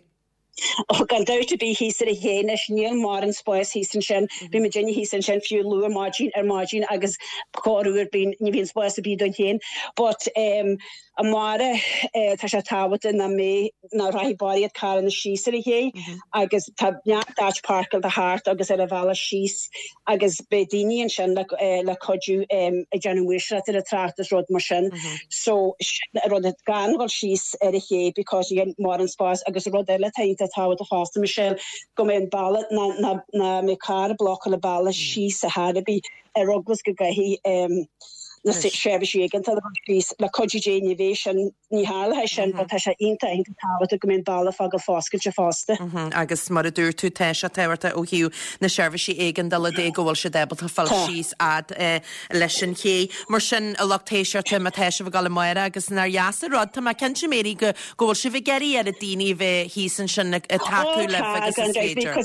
Ó, gan dabht ar bith thíos ar an ché anois, níl mórán spáis thíos ansin. Bhí muidinne thíos ansin fiú luath maidin ar maidin agus corruair bíonn, ní bhíonn spás ar bith dúinn féin. But em amárach eh tá sé tábhachtach nach mbeidh, nach rachaidh barraíocht carranna síos ar an ché agus tá neart áit páirceáilte thart agus ar an bhealach síos agus beidh daoine ansin le le cuidiú ag déanamh maoirseacht ar an trácht is rud mar sin. So sin an rud gan dhul síos ar an ché because níl mórán spás agus rud eile atá iontach tábhachtach fosta Michelle go mbeidh an bealach ná ná ná mbeidh carr ag blocáil an bealach síos ar chor ar bith ar eagla is go gcaithfidh na seirbhísí éigeandála a dhul síos le cuidiú Dé ní bheidh sin Ní tharlóidh sin, but tá sé iontach, iontach tábhachtach go mbeidh an bealach fágáil foscailte fosta. Agus mar a dúirt tú, tá sé tábhachtach ó thaobh na seirbhísí éigeandála de go bhfuil siad ábalta fáil síos fhad leis an ché. Mar sin, a lucht éisteachta, má tá sibh ag dul amárach agus nár dheas an rud, tá mé cinnte, Mary, go go bhfuil sibh ag iarraidh oiread daoine a bheith thíos ansin ag tacú libh agus is féidir.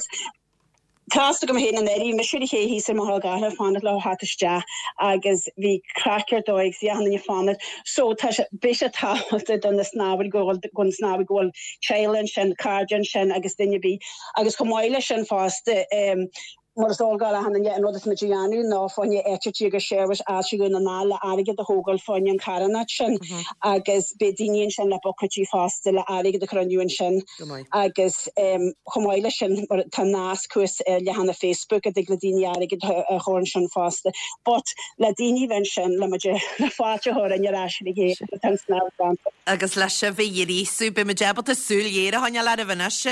Tá's agam féin anuraidh, bhí mise ar an ché thíos ar Mhachaire Gathlán ag fanacht leo theacht isteach agus bhí craic ar dóigh agus bhí achan duine ag fanacht. So tá sé, beidh sé tábhachtach do na snámhóirí go bhfuil, go na snámhaí go bhfuil teaghlaigh ansin, cairde ansin agus duine ar bith. Agus chomh maith leis sin fosta, em, mar is eol do achan duine, an rud atá muid a dhéanamh ná fá choinne eitiltí agus seirbhís Fháilte Dhún na nGall le airgead a thógáil fá choinne an charthanacht sin agus beidh daoine ansin le buicéidí fosta le airgead a chruinniú ansin. Agus chomh maith leis sin, tá nasc thuas ar leathanach Facebook a dtig le daoine airgead a chur ansin fosta. But le daoine a bheith ansin le muid le fáilte a chur roimhe ar ais ar an ché agus tá an snámh déanta. Agus le sibh a ghríosú, beidh muid ábalta súil ghéar a choinneáil oraibh anois,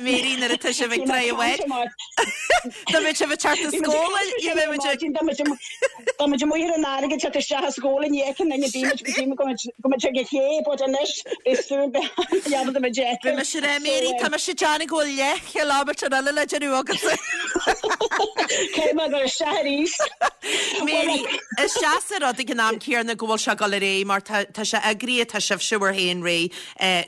Mary, nuair atá sibh ag Tráigh an Bháid. Dá mbeadh sibh ag teacht as Gabhla, ní bheidh muid ag. Tá muid amuigh ar an fharraige ag teacht isteach as Gabhla ní fheiceann duine bímid go dtí go mbeidh ag an ché but anois beidh súil beidh muid ag Beidh mise ar Mary, tá mise ag déanamh go bhfuil leathchileámeter eile le déanamh agatsa. Caithfidh mé dul isteach arís. Mary, is deas an rud ag an am céanna go bhfuil sé ag dul ar aghaidh mar tá tá sé eagraithe, tá sibhse bhur féin réidh,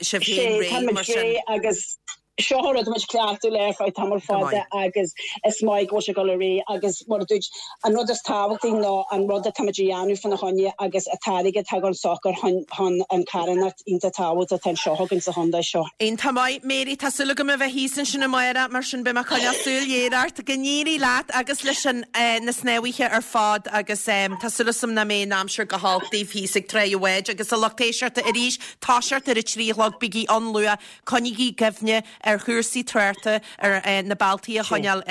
sibh féin réidh mar sin. Agus Seo rud a bhfuil muid ag cleachtadh le ar feadh tamall fada agus is maith go bhfuil sé ag dul ar aghaidh agus mar a dúirt, an rud is tábhachtaí ná an rud atá muid a dhéanamh fána choinne agus an t-airgead atá ag dul socair chun chun an carthanacht iontach tábhachtach atá anseo againn sa chontae seo. Iontach maith, Mary, tá súil agam a bheith thíos ansin amárach, mar sin beidh mé ag coinneáil súil ghéar ort. Go n-éirí leat agus leis an na snámhaithe ar fad agus tá súil agam nach mbeidh an aimsir go holc daoibh thíos ag Tráigh an Bháid agus a lucht éisteachta arís, toiseacht ar a 3 a chlog, bígí ann luath, Coinnígí i gcuimhne. ar chúrsaí tráchta, ar na bealtaí a choinneáil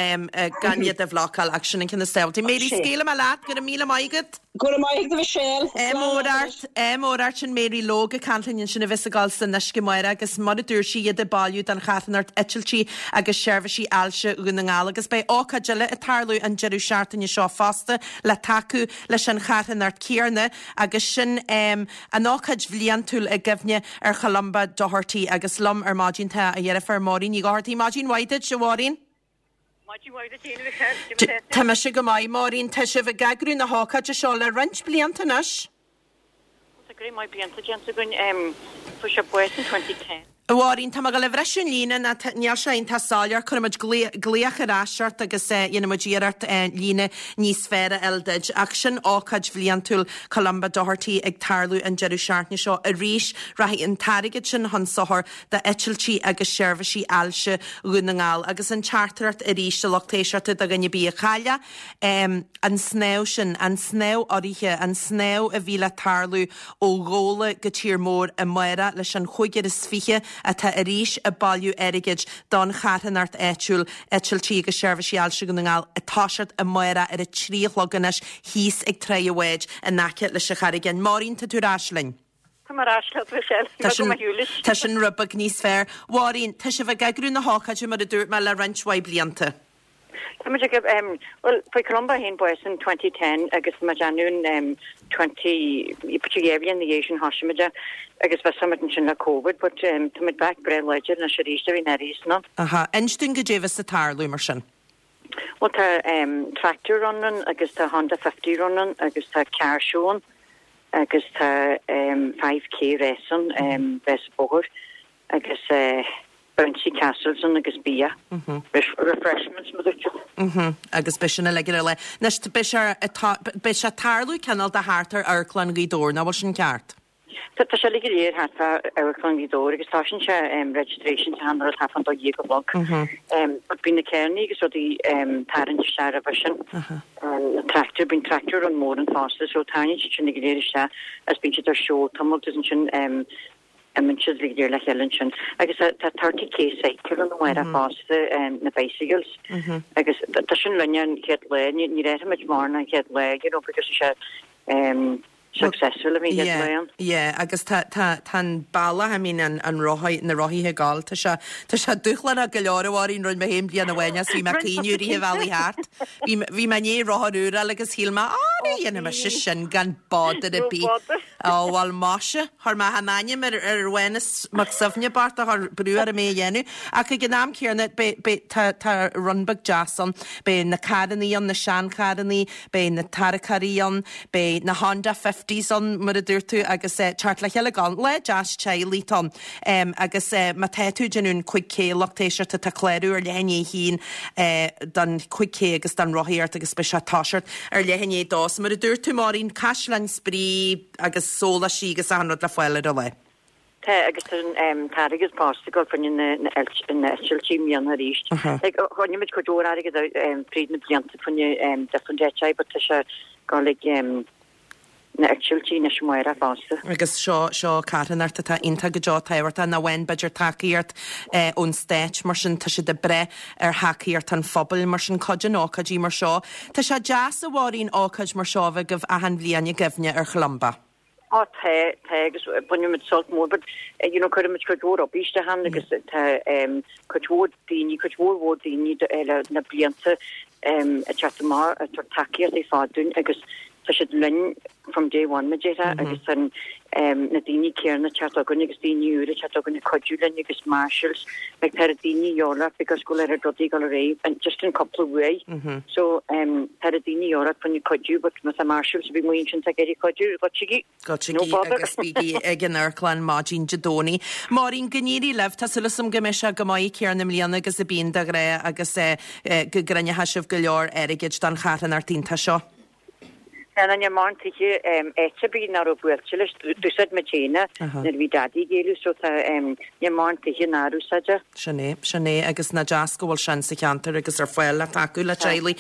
gan iad a bhlocáil ach sin an ceann is tábhachtaí. Mary, scaoilfidh mé leat, go raibh míle maith agat. Go raibh maith agat a Mhichelle. Ádh mór ort, ádh mór ort sin Mary Logue ag caint linn ansin a bheas ag dul san uisce amárach agus mar a dúirt sí iad ag bailiú don charthanacht Eitiltí agus Seirbhísí Ailse Dhún na nGall agus beidh ócáid eile ag tarlú an deireadh seachtaine seo fosta le tacú leis an charthanacht céanna agus sin an ócáid bhliantúil i gcuimhne ar Cholumba Doherty agus liom ar maidin tá a dheirfiúr Máirín Ní Dhochartaigh. Maidin mhaith duit, a Mháirín. Maidin mhaith duit féin, a Mhichelle. Tá mise go maith, Máirín. Tá sibh ag eagrú na hócáide seo le roinnt blianta anois. Tá go maith blianta déanta againn. Fuair sé bás in 2010. A Mháirín, tá mé ag dul a bhriseadh an líne, nó níl sé iontach soiléir. Cuirfidh muid glaoch ar ais ort agus dhéanfaidh muid iarracht líne níos fearr a fháil duit. Ach sin ócáid bhliantúil Columba Doherty ag tarlú an deireadh seachtaine seo arís. Rachaidh an t-airgead sin chun sochair d'Eitiltí agus Seirbhísí Ailse Dhún na nGall. Agus an teachtaireacht arís do lucht éisteachta do dhuine ar bith a chaill an snámh sin, an snámh urraithe, an snámh a bhí le tarlú ó Ghabhla go Tír Mór amárach leis an chúigear is 20 atá arís ag bailiú airgid don charthanacht áitiúil Eitiltí agus Seirbhísí Ailse Dhún na nGall ag toiseacht amárach ar a 3 a chlog anois thíos ag Tráigh an Bháid in aice leis an Charraig Fhinn. Máirín, tá tú ar ais linn. Tá mé ar ais leat, Michelle. Tá mé go maith uilig. Tá sin rud beag níos fearr. Mháirín, tá sibh ag eagrú na hócáide mar a dúirt mé le roinnt mhaith blianta. Tá muid ag, bhuel, fuair Columba féin bás in 2010 agus tá muid ann in 20, b'fhéidir dhá bhliain ina dhiaidh sin thosaigh muid é agus bhí muid ansin le Covid but tá muid back breá láidir anois arís a bhí in áirithe san ann. Aha. Inis dúinn goidé a bheas ag tarlú mar sin. Bhuel tá tractor run ann agus tá Honda 50 run ann agus tá car show ann agus tá 5K race ann, rás bóthair agus bouncy castles ann agus bia, refreshments mar a dúirt tú. Agus beidh sin uilig ar an lá. Anois beidh sé, beidh sé ag tarlú cineál de thart ar Amharclann Ghaoth Dobhair, nach bhfuil sin ceart? Tá sé uilig go léir thart fá Amharclann Ghaoth Dobhair agus tosaíonn sé registration sa shean rud thart fán dó dhéag a chlog. But bíonn na carrannaí agus rudaí tarraingt isteach roimhe sin. Na tractor, bíonn tractor run mór ann fosta so tarraingíonn siad sin go léir isteach agus bíonn siad ar show tamall agus ansin imíonn siad go léir le chéile ansin. Agus tá 30k cycle ann amárach fosta, na bicycles. Agus tá sin linn an chéad lá, ní raibh muid mórán an chéad lá, you know, because tá sé successful a bhí ag Yeah, Leon. yeah, agus tá, tá, tá an bealach, I mean, an, an rothaí, na rothaithe ag gabháil, tá sé, tá sé dúshlánach go leor a Mháirín, rinne mé féin bliain amháin as bhí mé ag caoineadh i rith an bhealaigh thart. Bhí, bhí mé i ndiaidh rothar úr a fháil agus shíl mé, á, ní dhéanfaidh mise sin gan bother ar No bith. bother. Ó, bhuel, maise, chuir mé an ainm ar, ar Mhánas Mac Suibhne bocht a chuir brú orm é a dhéanamh. Ach ag an am céanna, beidh, beidh, tá, tá run beag deas ann. Beidh na carrannaí ann, na seancharrannaí, beidh na tarracóirí ann, Beidh na Honda Fifties ann, mar a dúirt tú, agus teacht le chéile go lá deas teaghlaigh atá ann. Agus má tá tú ag déanamh an 5K, lucht éisteachta, tá clárú ar leath i ndiaidh a haon don 5K agus don rothaíocht agus beidh sé ag toiseacht ar leath i ndiaidh a dó. So mar a dúirt tú, Máirín, caisleáin spraoi agus sóláistí agus achan rud le fáil ar an lá. Tá, agus tá an t-airgead fosta ag dul fá choinne na n-eitiltí i mbliana arís. Like, choinnigh muid cuid mhór airgead fríd na blianta fá choinne different HI, but tá sé ag dul ag na heitiltí anois amárach fosta. Agus seo, seo carthanacht atá iontach go deo tábhachtach, nach bhfaigheann b'fhéidir tacaíocht ón stát, mar sin tá siad ag brath ar thacaíocht an phobail, mar sin cuidíonn ócáidí mar seo. Tá sé deas, a Mháirín, ócáid mar seo a bheith agaibh achan bhliain i gcuimhne ar Cholumba. Á tá, tá agus baineann muid sult mór but you know cuireann muid cuid mhór obair isteach ann agus tá cuid mhór daoine, cuid mhór mhór daoine le na blianta ag teacht amach ag tabhairt tacaíocht ar fad dúinn agus tá siad linn from day one mar a déarfá agus tá na daoine céanna ag teacht chugainn agus daoine úra ag teacht chugainn ag cuidiú linn agus marshals like tá daoine de dhíobháil because go bhfuil oiread rudaí ag dul ar aghaidh just an cúpla uaidh so tá daoine de dhíobháil fá choinne cuidiú but má tá marshals ar bith amuigh ansin atá ag iarraidh cuidiú goitsigí no bother. agus bígí ag an amharclann maidin Dé Domhnaigh. Máirín, go n-éirí libh, tá súil agam go mbeidh sé go maith céanna i mbliana agus a bíonn de ghnáth agus go gcruinneoidh sibh go leor airgid don charthanacht iontach seo. Níl níl mórán tithe áit ar bith nach raibh buailte leis. D'úsáid muid féin é nuair a bhí Daidí ag éalú so tá níl mórán tithe nár úsáid é. Sin é, sin é agus nach deas go bhfuil sin sa cheantar agus ar fáil le tacú le teaghlaigh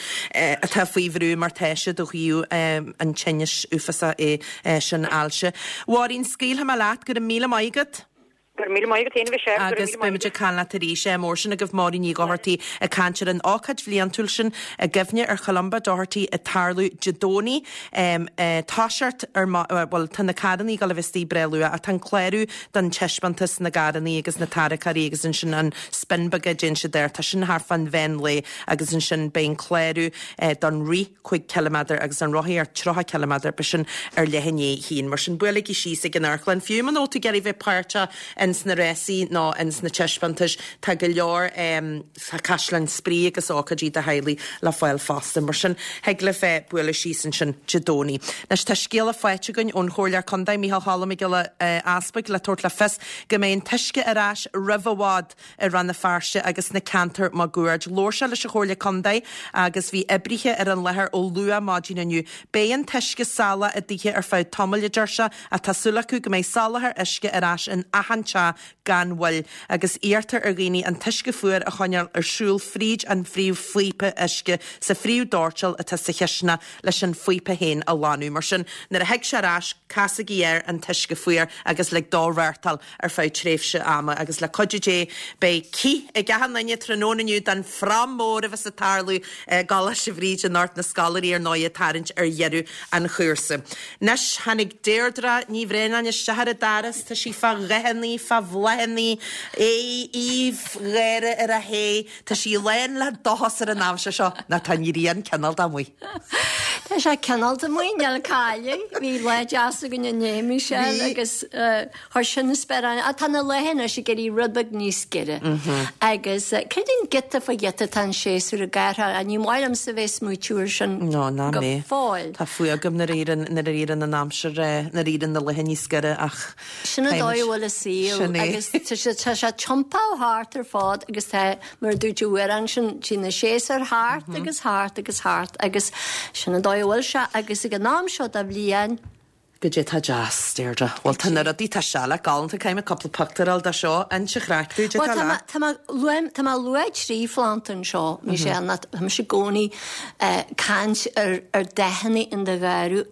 atá faoi bhrú mar tá siad ó thaobh an tinnis uafásach é sin ailse. Mháirín, scaoilfidh mé leat, go raibh míle maith agat. Go raibh míle maith agat féin a Mhichelle, go raibh Agus míle beidh maith muid ag agat. caint leat arís. Ádh mór sin agaibh Máirín Ní Dhochartaigh ag caint ar an ócáid bhliantúil sin i gcuimhne ar Cholumba Doherty ag tarlú Dé Domhnaigh. Toiseacht ar, bhuel tá na carrannaí ag dul a bheith istigh breá luath ach tá an clárú don taispeántas na gcarrannaí agus na tarracóirí agus ansin an spin beag a déanann siad air, tá sin thart fán mheán lae agus ansin beidh an clárú don rith 5 ciliméadar agus an rothaíocht 30 ciliméadar, beidh sin ar leath i ndiaidh a haon. Mar sin buailigí síos ag an amharclann, fiú muna bhfuil tú ag iarraidh bheith páirteach ins na rásaí nó ins na taispeántais, tá go leor tá caisleáin spraoi agus ócáidí do theaghlaigh le fáil fosta. Mar sin thig libh bualadh síos ansin Dé Domhnaigh. Anois tá scéala faighte againn ón Chomhairleoir Contae, Micheál Choilm Mac Giolla Easpaig le tabhairt le fios go mbeidh an t-uisce ar ais roimh i bhfad i Rann na Feirste agus sna ceantair máguaird. Labhair sé leis an Chomhairle Contae agus bhí oibrithe ar an láthair ó luath maidin inniu. Beidh an t-uisce salach i dtithe ar feadh tamaill, a deir sé, ach tá súil acu go mbeidh soláthar uisce ar ais in achan teach gan mhoill agus iarrtar ar dhaoine an t-uisce fuar a choinneáil ar siúl fríd an phríomh-phíopa uisce sa phríomh-dóirteal atá sa chisteanach leis an phíopa féin a shlánú. Mar sin, nuair a thig sé ar ais, casaigí air an t-uisce fuar agus lig dó reáchtáil ar feadh tréimhse ama agus le cuidiú Dé beidh cith ag achan duine tráthnóna inniu don phrom mór a bheas ag tarlú i gColáiste Bhríde anocht, na scoláirí ar ndóigh ag tarraingt ar dheireadh an chúrsa. Anois tháinig Deirdre Ní Bhraonáin isteach ar an doras, tá sí fá dhathannaí, fá bhláthannaí, aoibh gháire ar a haghaidh, tá sí lán le dóchas ar an aimsir seo, nó tá an ghrian cineál de amuigh. Tá sé cineál de amuigh, níl cailleadh. Bhí lá deas againn inné, Michelle, agus Chuir sin an sparán, ach tá na laetha anois ag éirí rud beag níos giorra. Agus creidim giota fá ghiota tá an séasúr ag athrú, ach ní maith liomsa bheith ag smaoitiú ar sin No, ná go mé. fóill. Tá fuath agam nuair a éiríonn, nuair a éiríonn an aimsir, nuair a éiríonn na laetha níos giorra ach Sin an dóigh a bhfuil an saol Sin é. agus tá sé, tá sé tiompaithe thart ar fad agus tá, mar a dúirt an amhrán sin, téann na séasúir thart agus thart agus thart agus sin an dóigh a bhfuil sé agus ag an am seo de bhliain, Goidé tá deas, Deirdre. Bhuel, tá na rudaí, tá seileach galánta, caithfidh mé cúpla pictiúr a fháil de seo. Inis an chraic dúinn, goidé Bhuel, tá tá mé, leat. tá mé, luaim, tá mé ag lua 3 phlanda anseo, Michelle, ná tá mise i gcónaí ag caint ar, ar dathanna in do gharradh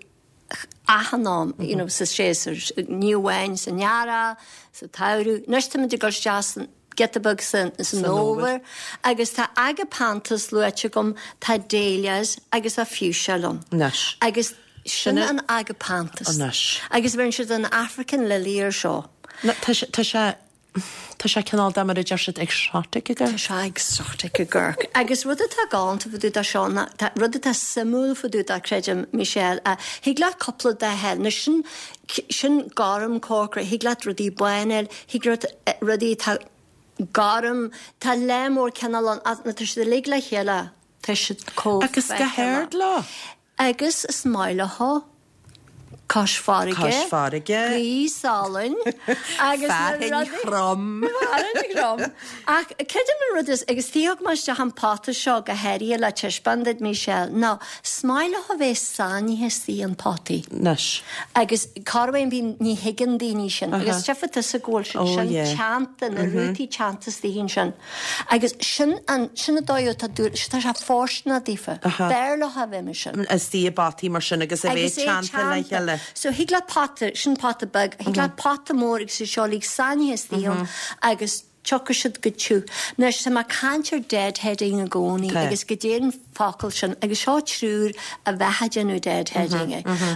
achan am, you know, sa séasúr, ní amháin san earrach, sa tsamhradh. Anois táimid ag dul isteach san, giota beag san fhómhar agus tá agapanthus luaite agam, tá dahlias agus tá fuchsia liom. Anois. Agus sin an agapanthus. Anois. Agus bheireann siad an African lily ar seo. Tá sé, tá sé, tá sé cineál de mar a deir siad exotic ag Tá sé exotic ag amharc. Agus rud atá galánta fá dtaobh de seo ná, tá rud atá suimiúil fá dtaobh de, creidim, Michelle, thig leat cúpla dath a fháil. Anois sin, sin gorm corcra, thig leat rudaí bána a fháil, Thig leat rudaí atá gorm, tá lear mór cineál ann ach nuair atá siad uilig le chéile tá siad chomh Agus go feiceálach. hard leo. Agus is maith leo cois farraige, Cois farraige. gaoth salainn agus na Fearthainn rudaí. throm. Fearthainn throm. Ach creidim an rud is, agus thug mé isteach an pota seo go háirithe le taispeáint duit Michelle, ná is maith leo a bheith sáinnithe istigh in potaí. Anois. Agus corruair bíonn, ní thuigeann daoine sin. Agus tchífidh tusa go bhfuil siad sin teannta, na rútaí teannta istigh ansin. Agus sin an, sin an dóigh atá dúil, tá sé fóirsteanach daofa. B'fhearr leo a bheith mar sin. Istigh i bpotaí mar sin agus a bheith teannta le chéile. So thig leat pota, sin pota beag, thig leat pota mór agus iad seo uilig sáinnithe istigh ann agus tiocfaidh siad go tiubh. Anois, tá mé ag caint ar deadheading i gcónaí agus goidé an focal sin agus seo triúr a bheadh ag déanamh deadheading.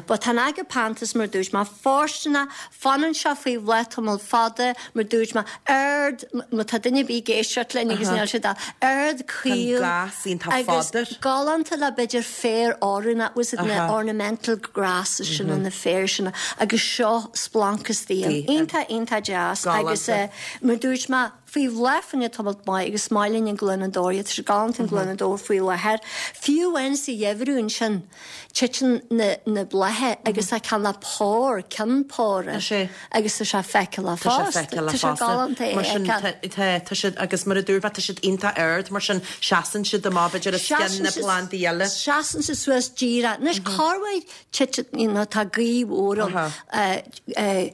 But tá an agapanthus mar dúirt mé fóirsteanach, fanann sé faoi bhláth tamall fada, mar dúirt mé, ard, má tá duine ar bith ag éisteacht linn agus níl siad ard, caol agus galánta le b'fhéidir féar oiriúnach, was it na ornamental grasses sin na féir sin agus seo splanc istigh ann. Iontach, iontach deas agus Mar dúirt mé, faoi bhláth fá choinne tamalt maith agus is maith linn an gloineadóir, tá sé galánta an gloineadóir faoi láthair. Fiú amháin sa gheimhreadh ansin, titeann na na blátha agus tá ceann pár, ceann pára agus tá sé feiceálach fosta. Tá sé galánta é a fheiceáil. Tá, tá siad, agus mar a dúirt mé, tá siad iontach ard, mar sin seasann siad amach b'fhéidir os cionn na plandaí eile. Seasann siad suas díreach. Anois, corruair titeann, you know, tá gaoth mhór ann.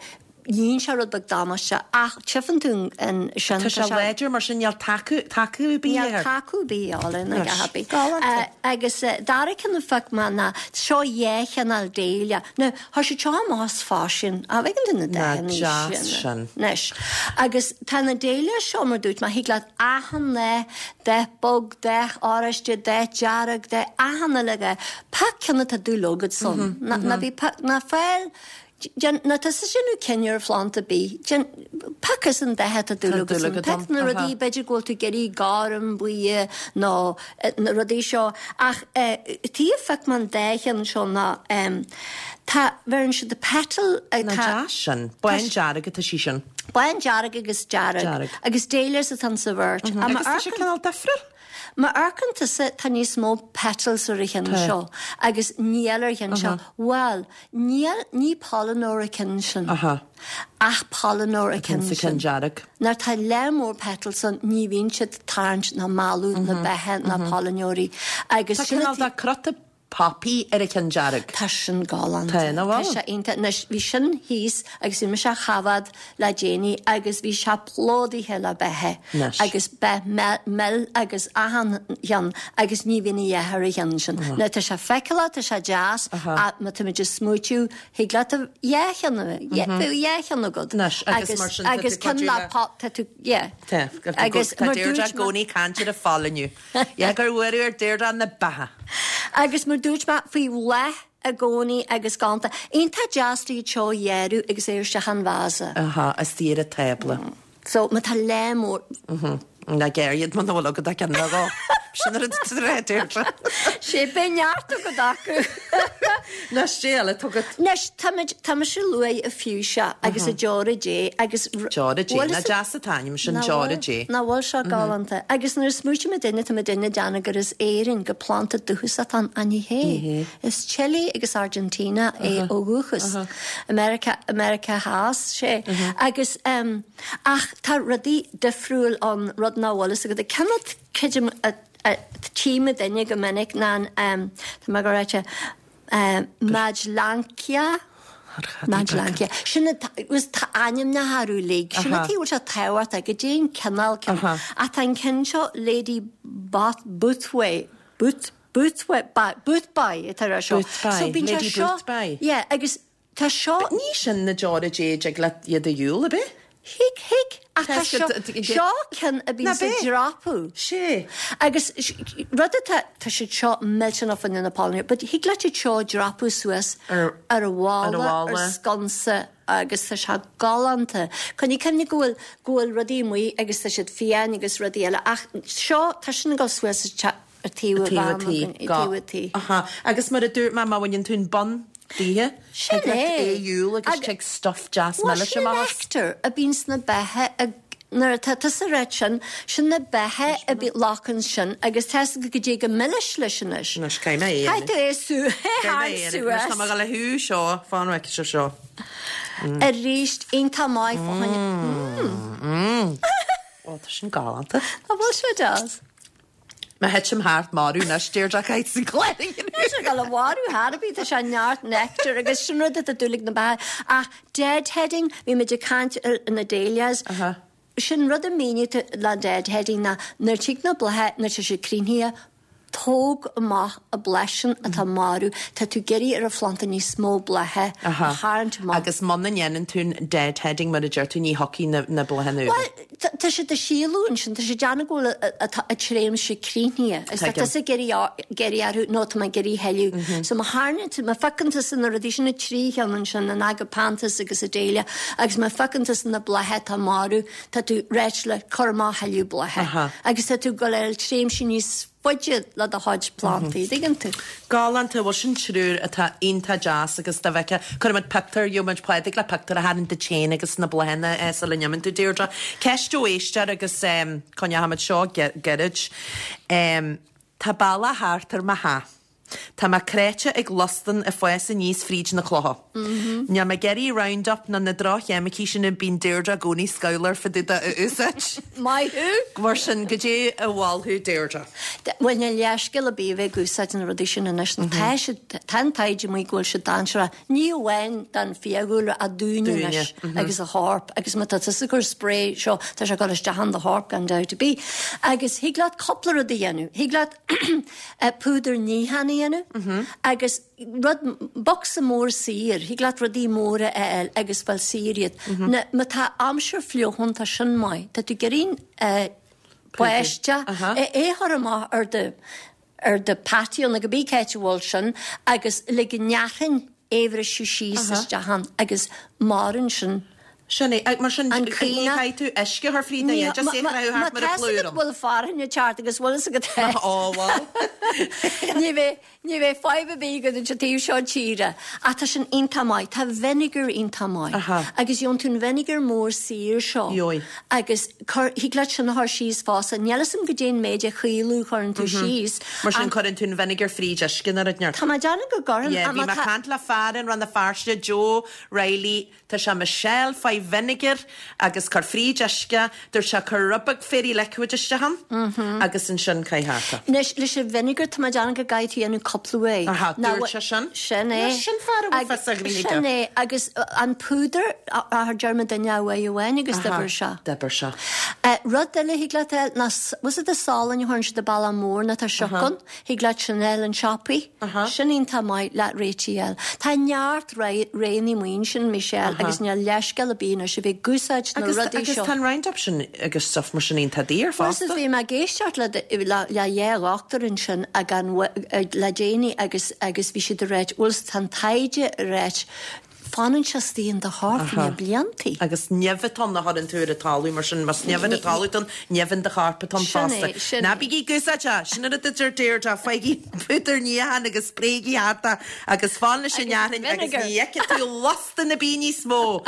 Dhein sé rud beag damáiste ach tchífeann tú an sin. Tá sé láidir mar sin níl tacú tacú ar bith air. Níl tacú ar bith air ná a dhath ar bith. Galánta. Agus dara ceann a phioc mé ná seo dhá chineál dahlia. Now chuir siad seo amach as faisean. An bhfeiceann tú na dathanna Nach deas sin. Anois. Agus tá na dahlia seo mar dúirt mé thig leat achan dath, dath bog, dath oráiste, dath dearg, dath achan uile dhath. Pioc ceann atá dúil agat ann. Ná bí pioc ná fáil Déan, ná tusa déanamh cinneadh ar phlanda ar bith. Déan, pioc as an dath atá dúil agat ann. Pioc na rudaí, b'fhéidir go bhfuil tú ag iarraidh gorm, buí nó na rudaí seo. Ach tuige a phioc mé an dá cheann seo ná tá, bheireann siad petal, tá. Nach deas sin. Bándearg atá sí sin. Bándearg agus dearg. Dearg. Agus dahlias atá sa bheirt. Agus tá sé cineál difriúil. Má amharcann tusa tá níos mó petals ar an cheann seo agus níl ar an cheann seo. Bhuel, níl, ní pailneoir an ceann sin. Ach pailneoir an ceann sin. Nuair tá lear mór petals ann ní bhíonn siad ag tarraingt ná mealladh na beithe ná pailneoirí agus Tá cineál de cruth poppy ar an cheann dearg. Tá sin galánta. Tá, nach bhfuil? Tá sé iontach. Anois, bhí sin thíos agus bhí mise á choimhéad le déanaí agus bhí sé plódaithe le beithe. Anois. Agus beith mil agus achan cheann agus ní bhíonn a dhath ar an cheann sin. Now, tá sé feiceálach, tá sé deas, ach má táimid ag smaoitiú, thig leat a dhá cheann a bheith, bheadh dhá cheann agat. Anois, agus mar sin, tá tú Agus ceann cuidiú le le. pop, tá tú, yeah. Tá, Agus tá mar Deirdre dúirt i gcónaí ag caint ar an phailniú. Yeah, gur bhuaireadh ar Deirdre na beatha. Agus mar dúirt mé, faoi bhláth i gcónaí agus galánta. Iontach deas iad seo a ghearradh agus é isteach an vása. Aha, istigh ar an tábla. So, má tá lear mór. Mhm. Ná gearr iad muna bhfuil agat ach ceann nó dhó. Sin an rud atá a rá Deirdre. Sé, beidh neart agat acu. Anois, cad é eile atá agat. Anois, táimid, tá mise ag lua an fuchsia agus an Deora Dé agus. Deora Dé, nach deas an t-ainm sin, Deora Dé. Nach bhfuil seo galánta? Agus nuair a smaoitíonn muidinne, tá muidinne ag déanamh gur as Éirinn, gur planda dúchasach atá ann, ach ní hé. Is Chile agus Argentina é ó dhúchas. America, America Theas, sé. Agus, ach tá rudaí difriúil ann, rud nach bhfuil fhios agat. Ceann a, creidim, a, a tchí muidinne go minic ná an, tá mé ag rá, Madtsoia. Madtsoia. Sin an, tá ainmneacha orthu uilig. Sin an tuige a bhfuil sé tábhachtach goidé an cineál ceann. Ach tá an ceann seo Lady Boothway, Booth, Boothway, Boothby atá ar seo. Boothby, So bíonn sé Lady seo, Boothby. yeah, agus Tá seo. Ní sin na deora Dé a dtig leat iad a dhiúl, ab ea? Thig, thig, ach tá seo, seo ceann a bhíonn ag dreapadh. Sé. Agus rud atá, tá siad seo millteanach fá choinne na pailneoirí, but thig leat iad seo a dreapadh suas ar an bhalla, ar sconsa agus tá sé galánta. Coinnigh cuimhne go bhfuil, go bhfuil rudaí amuigh agus tá siad fiáin agus rudaí eile ach seo, tá sin ag dul suas sa teach. Ar taobh a tí. Taobh a tí. Aha. Agus mar a dúirt mé, má bhaineann tú an bun daoithe, Sin thig leat é. é a dhiúl agus tig stuif deas Bhuel, milis sin an amach as. nectar a bíonn sna beithe a nuair atá tusa ag ráit sin, sin na beithe a bhí lochans sin agus tá fhios agat goidé chomh milis leis anois. Anois, caithfidh mé é a Caithfidh tú é sú, Caithfidh mé é a suas. Anois tá mé ag dul a shú seo, fan bhfeicfidh sibh seo. Arís, iontach maith fá choinne. Mm. Ó, tá sin galánta. An bhfuil sé deas? Má thitim thart marbh anois, Deirdre caithfidh san clár a dhéanamh. Tá sé ag dul a mharú thar ar bith, tá sé neart nectar agus sin rud atá dúil ag na beatha. Ach deadheading, bhí muid ag caint ar na dahlias, sin rud a míniú le deadheading ná nuair tig na blátha, nuair tá siad críochnaithe, tóg amach an bláth sin atá marbh, tá tú ag iarraidh ar an phlanda níos mó blátha a tharraingt amach. Agus muna ndéanann tú an deadheading mar a deir tú ní thiocfaidh na bláthanna úra. Bhuel, Tá siad ag síoladh ansin, tá siad ag déanamh go bhfuil a tréimhse críochnaithe. Is tá tusa ag iarraidh orthu, nó tá mé ag iarraidh a thuilleadh. So má tharraingíonn tú, má phiocann tusa na rudaí sin, na trí cheann ansin, an agapanthus agus an dahlia, agus má phiocann tusa na blátha atá marbh, tá tú réidh le cur amach thuilleadh blátha. Agus tá tú ag dul ar tréimhse níos faide le do chuid plandaí, dtuigeann tú? Galánta, bhuel sin triúr atá iontach deas agus dá bhfeicfeá, cuirfidh muid pictiúr, gheobhaidh muid Pádraig le pictiúr a tharraingt duit féin agus na bláthanna sula n-imíonn tú Deirdre. Ceist ó éisteoir agus coinneoidh muid seo gairid. Tá bealach thart ar mo theach. Tá mé cráite ag lustan ag fás aníos fríd na clocha. Níl mé ag iarraidh Roundup ná na droch-cheimicí sin a bíonn Deirdre i gcónaí scamhlar fá dtaobh de a úsáid. Maith thú! Mar sin, goidé a mholfá Deirdre? Bhuel, níl leithscéal ar bith a bheith ag úsáid na rudaí sin anois. Tá siad, tá an taighde amuigh go bhfuil siad dainséarach, ní amháin don fiadhúlra ach dúinne anois agus an chorp agus má tá tusa ag cur spray seo, tá sé ag dul isteach in do chorp gan dabht ar bith. Agus thig leat cúpla rud a dhéanamh. Thig leat púdar níocháin a dhéanamh agus rud, bocsa mór saor, thig leat rudaí móra a fháil agus fáil saor iad. Ná má tá aimsir fliuch ann tá sin maith. Tá tú ag iarraidh báisteach, é a chur amach ar do, ar do patio nó cibé cá háit a bhfuil sin agus le go an fhearthainn é a bhriseadh síos isteach ann agus maireann sin. Sin é. Mar sin, ní chaithfidh tú uisce a chur fríd ná é, just é a chroitheadh thart mar a plúr Má tá go bhfuil fearthainn ag teacht agus bhfuil fhios agat é. Ó bhuel. Ní bheidh, ní bheidh fadhb ar bith agat an taobh seo tíre. Ach tá sin iontach maith. Tá vinegar iontach maith. Agus gheobhann tú an vinegar mór saor seo. Gheobhaidh. Agus cuir, thig leat sin a chur síos fosta. Níl fhios a'm goidé an méid de chaolú a chuireann tú síos. Mar sin cuireann tú an vinegar fríd uisce nó rud inteacht. Tá mé ag déanamh go gcuireann. Yeah, bhí mé ag caint le fear in Rann na Feirste, Joe Reilly, Tá sé Michelle, faigh vinegar agus cuir fríd uisce, dúirt sé cuir rud beag Fairy Liquid isteach ann agus ansin caith thart é. Anois, leis an vinegar tá mé ag déanamh go gcaithfidh tú dhéanamh cúpla uair. Aha, dúirt sé sin. Sin é. Sin fear a bhfuil fios a ghnoithe aige. Sin é, agus an púdar, a deir mo duine uaidh amháin agus d'oibir sé. D'oibir sé. Rud eile thig leat a fháil ná, bhfuil fhios agat an salann a chuireann siad an bealach mór nó tá sioc ann. Thig leat sin a fháil in siopaí. Sin iontach maith le réitigh a fháil. Tá neart roghanna amuigh ansin, Michelle, agus níl leithscéal ar bith anois a bheith ag úsáid na rudaí seo. Agus tá an Roundup sin agus stuff mar sin iontach daor fosta. Bhuel, bhí mé ag éisteacht le le dhá dhochtúir ansin le déanaí agus agus bhí siad ag ráit, bhuel, tá an taighde ag ráit Fanann sé istigh in do chorp na bliantaí. Agus nimh atá ann a chuireann tú ar an talamh, mar sin más nimh ar an talamh atá ann, nimh in do chorp atá ann fosta. Sin é, sin Ná bígí ag úsáid é! Sin an rud a deir Deirdre, faighigí púdar níocháin agus spréigí thart é agus fan leis an fhearthainn agus ní fheicfidh tú lustan ar bith níos mó!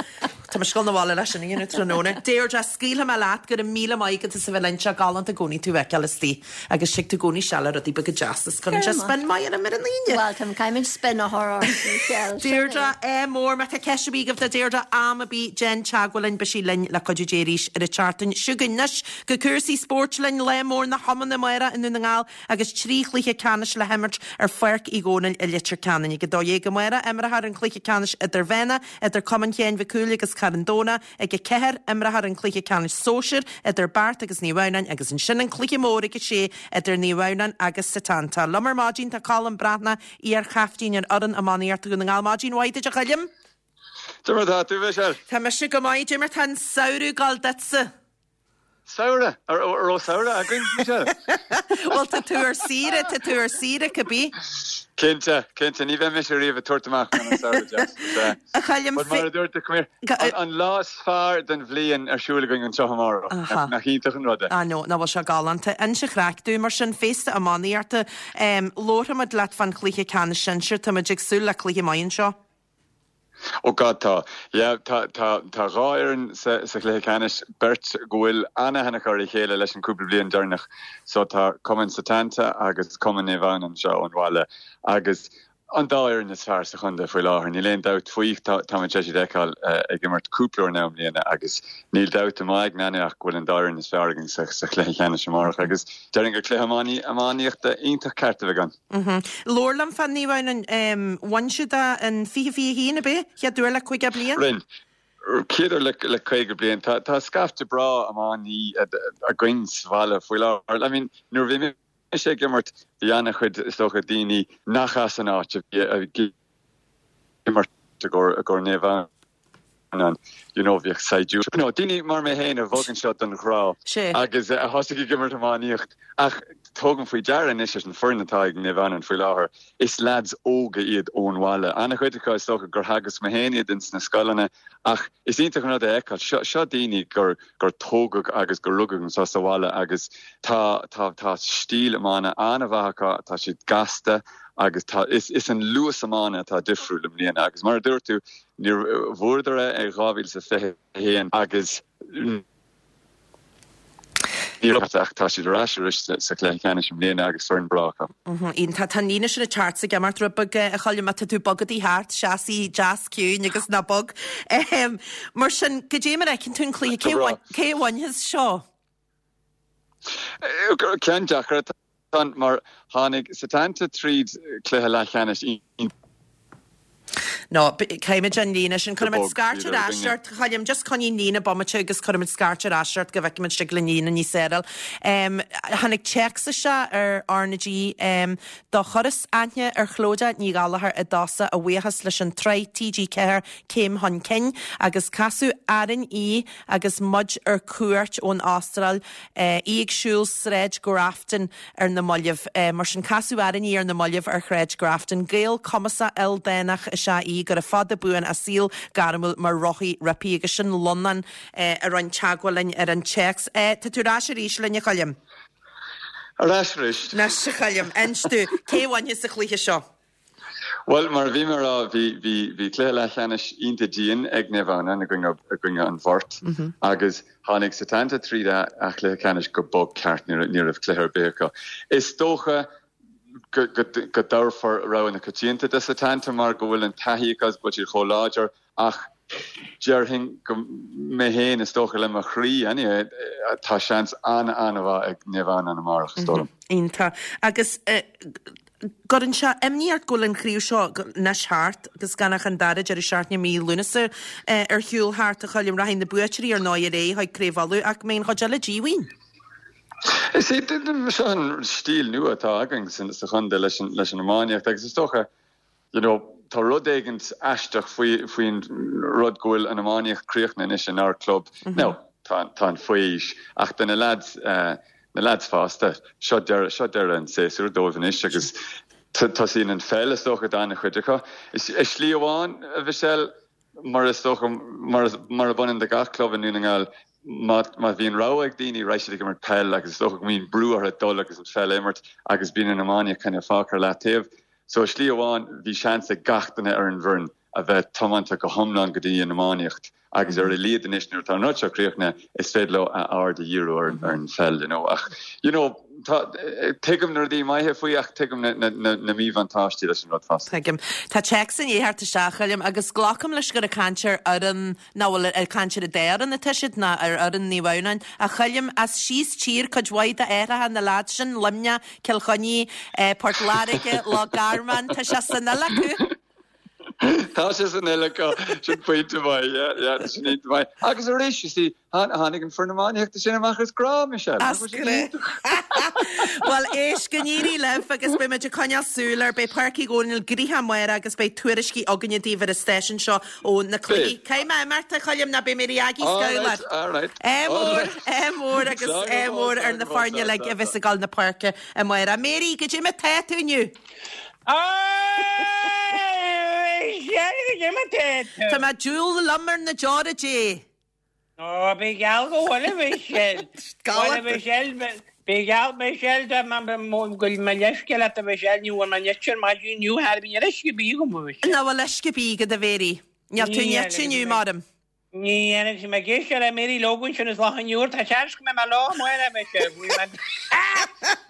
Tá mise ag dul 'na bhaile leis sin a dhéanamh tráthnóna. Deirdre, scaoilfidh mé leat, go raibh míle maith agat as a bheith linn, sé galánta i gcónaí tú a fheiceáil istigh. Agus tig tú i gcónaí isteach le rudaí beaga deasa is cuireann sé spin maith orm ar an Aoine. Bhuel, tá caithfimid spin a chur ort, Michelle. Sin é. Deirdre, ádh mór, má tá ceist ar bith agaibh do Deirdre, am ar bith, déan teagmháil linn, beidh sí linn le cuidiú Dé arís ar an tseachtain seo chugainn. Anois go cúrsaí spóirt linn, lá mór na hiomána amárach i nDún na nGall agus 3 chluiche ceannais le himirt ar Pháirc Uí Dhónaill i Leitir Ceanainn. Ag 12:00 amárach, imreofar an cluiche ceannais idirmheánach idir Cumann Sheáin Mhic Cumhaill agus Carn Domhnach. Ag a ceathair, imreofar an cluiche ceannais sóisir idir Beart agus Naomh Adhamhnáin agus ansin an cluiche mór ag a sé idir Naomh Adhamhnáin agus Setanta. Liom ar maidin tá Colm Breathnach, iar-chaiftín ar fhoireann iománaíochta Dhún na nGall. Maidin mhaith duit a Choilm. Cad é mar atá tú, a Mhichelle. Tá mise go maith, cad é mar tá an samhradh ag gabháil duitse. Samhradh? An raibh samhradh againn, Michelle? Bhuel, tá tú ar saoire, tá tú ar saoire, cibé. Cinnte, cinnte, ní bheidh mise riamh ag tabhairt amach gan an samhradh deas. Sea. A Choilm, But mar a dúirt tú, come here, an lá is fearr den bhliain ar siúl againn anseo amárach. Aha. Nach iontach an rud é? Ah no, nach bhfuil sé galánta. Inis an chraic dúinn mar sin, féasta iománaíochta. Labharfaimid leat fán chluiche ceannais sinsir, táimid ag súil le cluiche maith anseo. Oh God tá. Yeah, tá, tá, tá dhá fhoireann sa, sa chluiche ceannais, beirt go bhfuil an-aithne acu ar a chéile leis an cúpla bliain deireanach. So tá Cumann Setanta agus Cumann Naomh Adhamhnáin anseo ón bhaile agus an dá fhoireann is fearr sa chontae faoi láthair, níl aon dabht faoi. Tá, táimid tar éis iad a fheiceáil ag imirt cúpla uair now i mbliana agus níl dabht i m'aigne ach go bhfuil an dá fhoireann is fearr againn sa, sa chluiche ceannais amárach agus déarfainn gur cluiche iománaíochta iontach ceart a bheidh ann. Labhair liom fá Naomh Adhamhnáin. Bhain siad é in 2021, ab é? Chéad uair le 50 bliain? Rinne. Chéad uair le 50 bliain. Tá scaifte breá iománaí againn sa bhaile faoi láthair. I mean, nuair a bhí mise ag imirt, bhí an-chuid, is dócha, daoine nach as an áit a bhí ag imirt i gcomhair Naomh Adhamhnáin. You know, bhíodh saighdiúirí, you know, daoine mar mé féin a bhog anseo don ghrá agus a thosaigh ag imirt iománaíocht. Ach tógaim faoi deara anois leis an foireann atá ag Naomh Adhamhnáin faoi láthair, is lads óga iad ón bhaile. An-chuid acu is dócha gur theagasc mé féin iad ins na scoileanna ach is iontach an rud é a fheiceáil. Seo, seo daoine gur, gur tógadh agus gur rugadh anseo sa bhaile agus tá, tá, tá stíl iomána an-mhaith acu, tá siad gasta agus tá, is, is an luas iomána atá difriúil i mbliana agus mar a dúirt tú, Níor bhuadar é i 2021 agus. Ní raibh ach tá siad ar ais arís sa chluiche ceannais i mbliana agus foireann breá acu. Iontach. Tá an líne sin ag teacht 's ag imeacht rud beag, a Choilm, má tá tú bogadaí thart, seas deas ciúin agus ná bog. Mar sin, goidé mar a fheiceann tú an cluiche, cé a bhainfeas seo? Ceann deacair atá ann mar tháinig Setanta tríd cluiche leathcheannais iontach. No, caithfimid an líne sin. Cuirfimid scairt ar ais ort, a Choilm. Just coinnigh an líne bomaite agus cuirfimid scairt ar ais ort go bhfeicfimid tig linn líne níos fearr a fháil. Tháinig téacs isteach ar RnaG Do chuireas aithne ar Chlodagh Ní Ghallchóir i dtosach a bhuíochas leis an tsraith TG4 Céim Chun Cinn agus casadh orainn í agus muid ar cuairt ón Astráil, í ag siúl Sráid Grafton ar na mallaibh. Mar sin, casadh orainn í ar na mallaibh ar Shráid Grafton. Gael cumasach ildánach is ea í, gura fada buan a saol gairmiúil mar rothaí roimpi. Agus sin Lonán a rinne teagmháil linn ar an téacs. Tá tú ar ais arís linn, a Choilm. Ar ais arís. Anois, a Choilm, inis domh, cé a bhainfeas an cluiche seo? Bhuel, mar a bhí mé a rá, bhí, bhí, bhí cluiche leathcheannais iontach dian ag Naomh Adhamhnáin i gcoinne, i gcoinne an Bhoirt agus tháinig Setanta tríd a, a chluiche ceannais go bog ceart, ní raibh, ní raibh cluiche ar bith acu. Is dócha go, go, go dtabharfar rogha na coitianta do Setanta mar go bhfuil an taithí acu agus go bhfuil siad chomh láidir ach déarfainn go, mé féin, is dócha le mo chroí, anyway, tá seans an-an-mhaith ag Naomh Adhamhnáin amárach, is dóigh liom. Iontach. Agus gcuireann sé imní ort go bhfuil an chraobh seo anois thart agus gan ach an dara deireadh seachtaine i mí Lúnasa ar shiúl thart, a Choilm. Rachaidh na buaiteoirí ar ndóigh ar aghaidh chuig Craobh Uladh ach mbeidh an chuid eile díomhaoin. Is é seo an stíl nua atá againn sa chontae leis an iománaíocht agus is dócha you know, tá rud éigint aisteach faoi, faoin rud go bhfuil an iománaíocht críochnaithe anois inár club. Now, tá, tá an fho-aois, ach do na lads, eh, na lads fásta, seo deireadh, seo deireadh an tséasúir dóibh anois agus tosaíonn an pheil, is dócha, d'an-chuid acu. Is, i slí amháin, a Mhichelle, mar is dócha, mar, mar a bhaineann do gach club i nDún na nGall, má, má bhíonn rogha ag daoine, raghaidh siad ag imirt peil agus is dócha go mbíonn brú orthu dul agus an pheil a imirt agus bíonn an iománaíocht kind of fágtha ar leataobh. So i slí amháin bhí seans ag gach duine ar an bhfoireann a bheith tiomanta go hiomlán go dtí an iománaíocht agus ar a laghad anois nuair atá an rud seo críochnaithe is féidir leo a aird a dhíriú ar an pheil you know ach you know tá tuigim na rudaí maithe faoi ach tuigim na na na na míbhuntáistí leis an rud fosta. Tuigim. Tá téacs i ndiaidh theacht isteach, a Choilm, agus glacaim leis gur ag caint ar fhoireann Nach bhfuil ag caint ar an dá fhoireann atá siad, ná ar fhoireann Naomh Adhamhnáin. A Choilm, as síos tír cuid mhaith d'athracha na leaids sin, Luimneach, Cill Chainnigh, Port Láirge, Loch Garman, tá sé san fhuil acu. Tá sé san fhuil acu, sin pointe maith, yeah, yeah, sin iontach maith. Agus arís, you see, tháinig an foireann iománaíochta sin amach as grá, Michelle. As grá. Bhuel, éist, go n-éirí libh agus beidh muid ag coinneáil súil air. Beidh Páirc Uí Dhónaill gnoitheach amárach agus beidh tuairiscí againne daoibh ar an stáisiún seo ó na cluichí. Caithfidh mé imeacht, a Choilm, nó beidh mé ar aghaidh scamhlar. Ádh mór, ádh mór agus ádh mór ar na foirne uilig a bheas ag dul na páirce amárach. Mary, goidé mar tá tú inniu? Tá mé diabhal liom ar na deora Dé. Ó, bí geall go bhfuil a Mhichelle. Bhuel a Mhichelle, bí geall Michelle dá mba go bhfuil mo leithscéal leat a Mhichelle, ní bhfuair mé nite ar maidin inniu, thar bhí níl uisce ar bith agam a Mhichelle. Nach bhfuil uisce ar bith agat a Mhary? Níl tú nite inniu, maram. Ní dhéanfaidh sé mé géis ar Mary Logan sin is lá an iúr, tá seans go mbeidh mé lá amuigh a Mhichelle, bhí mé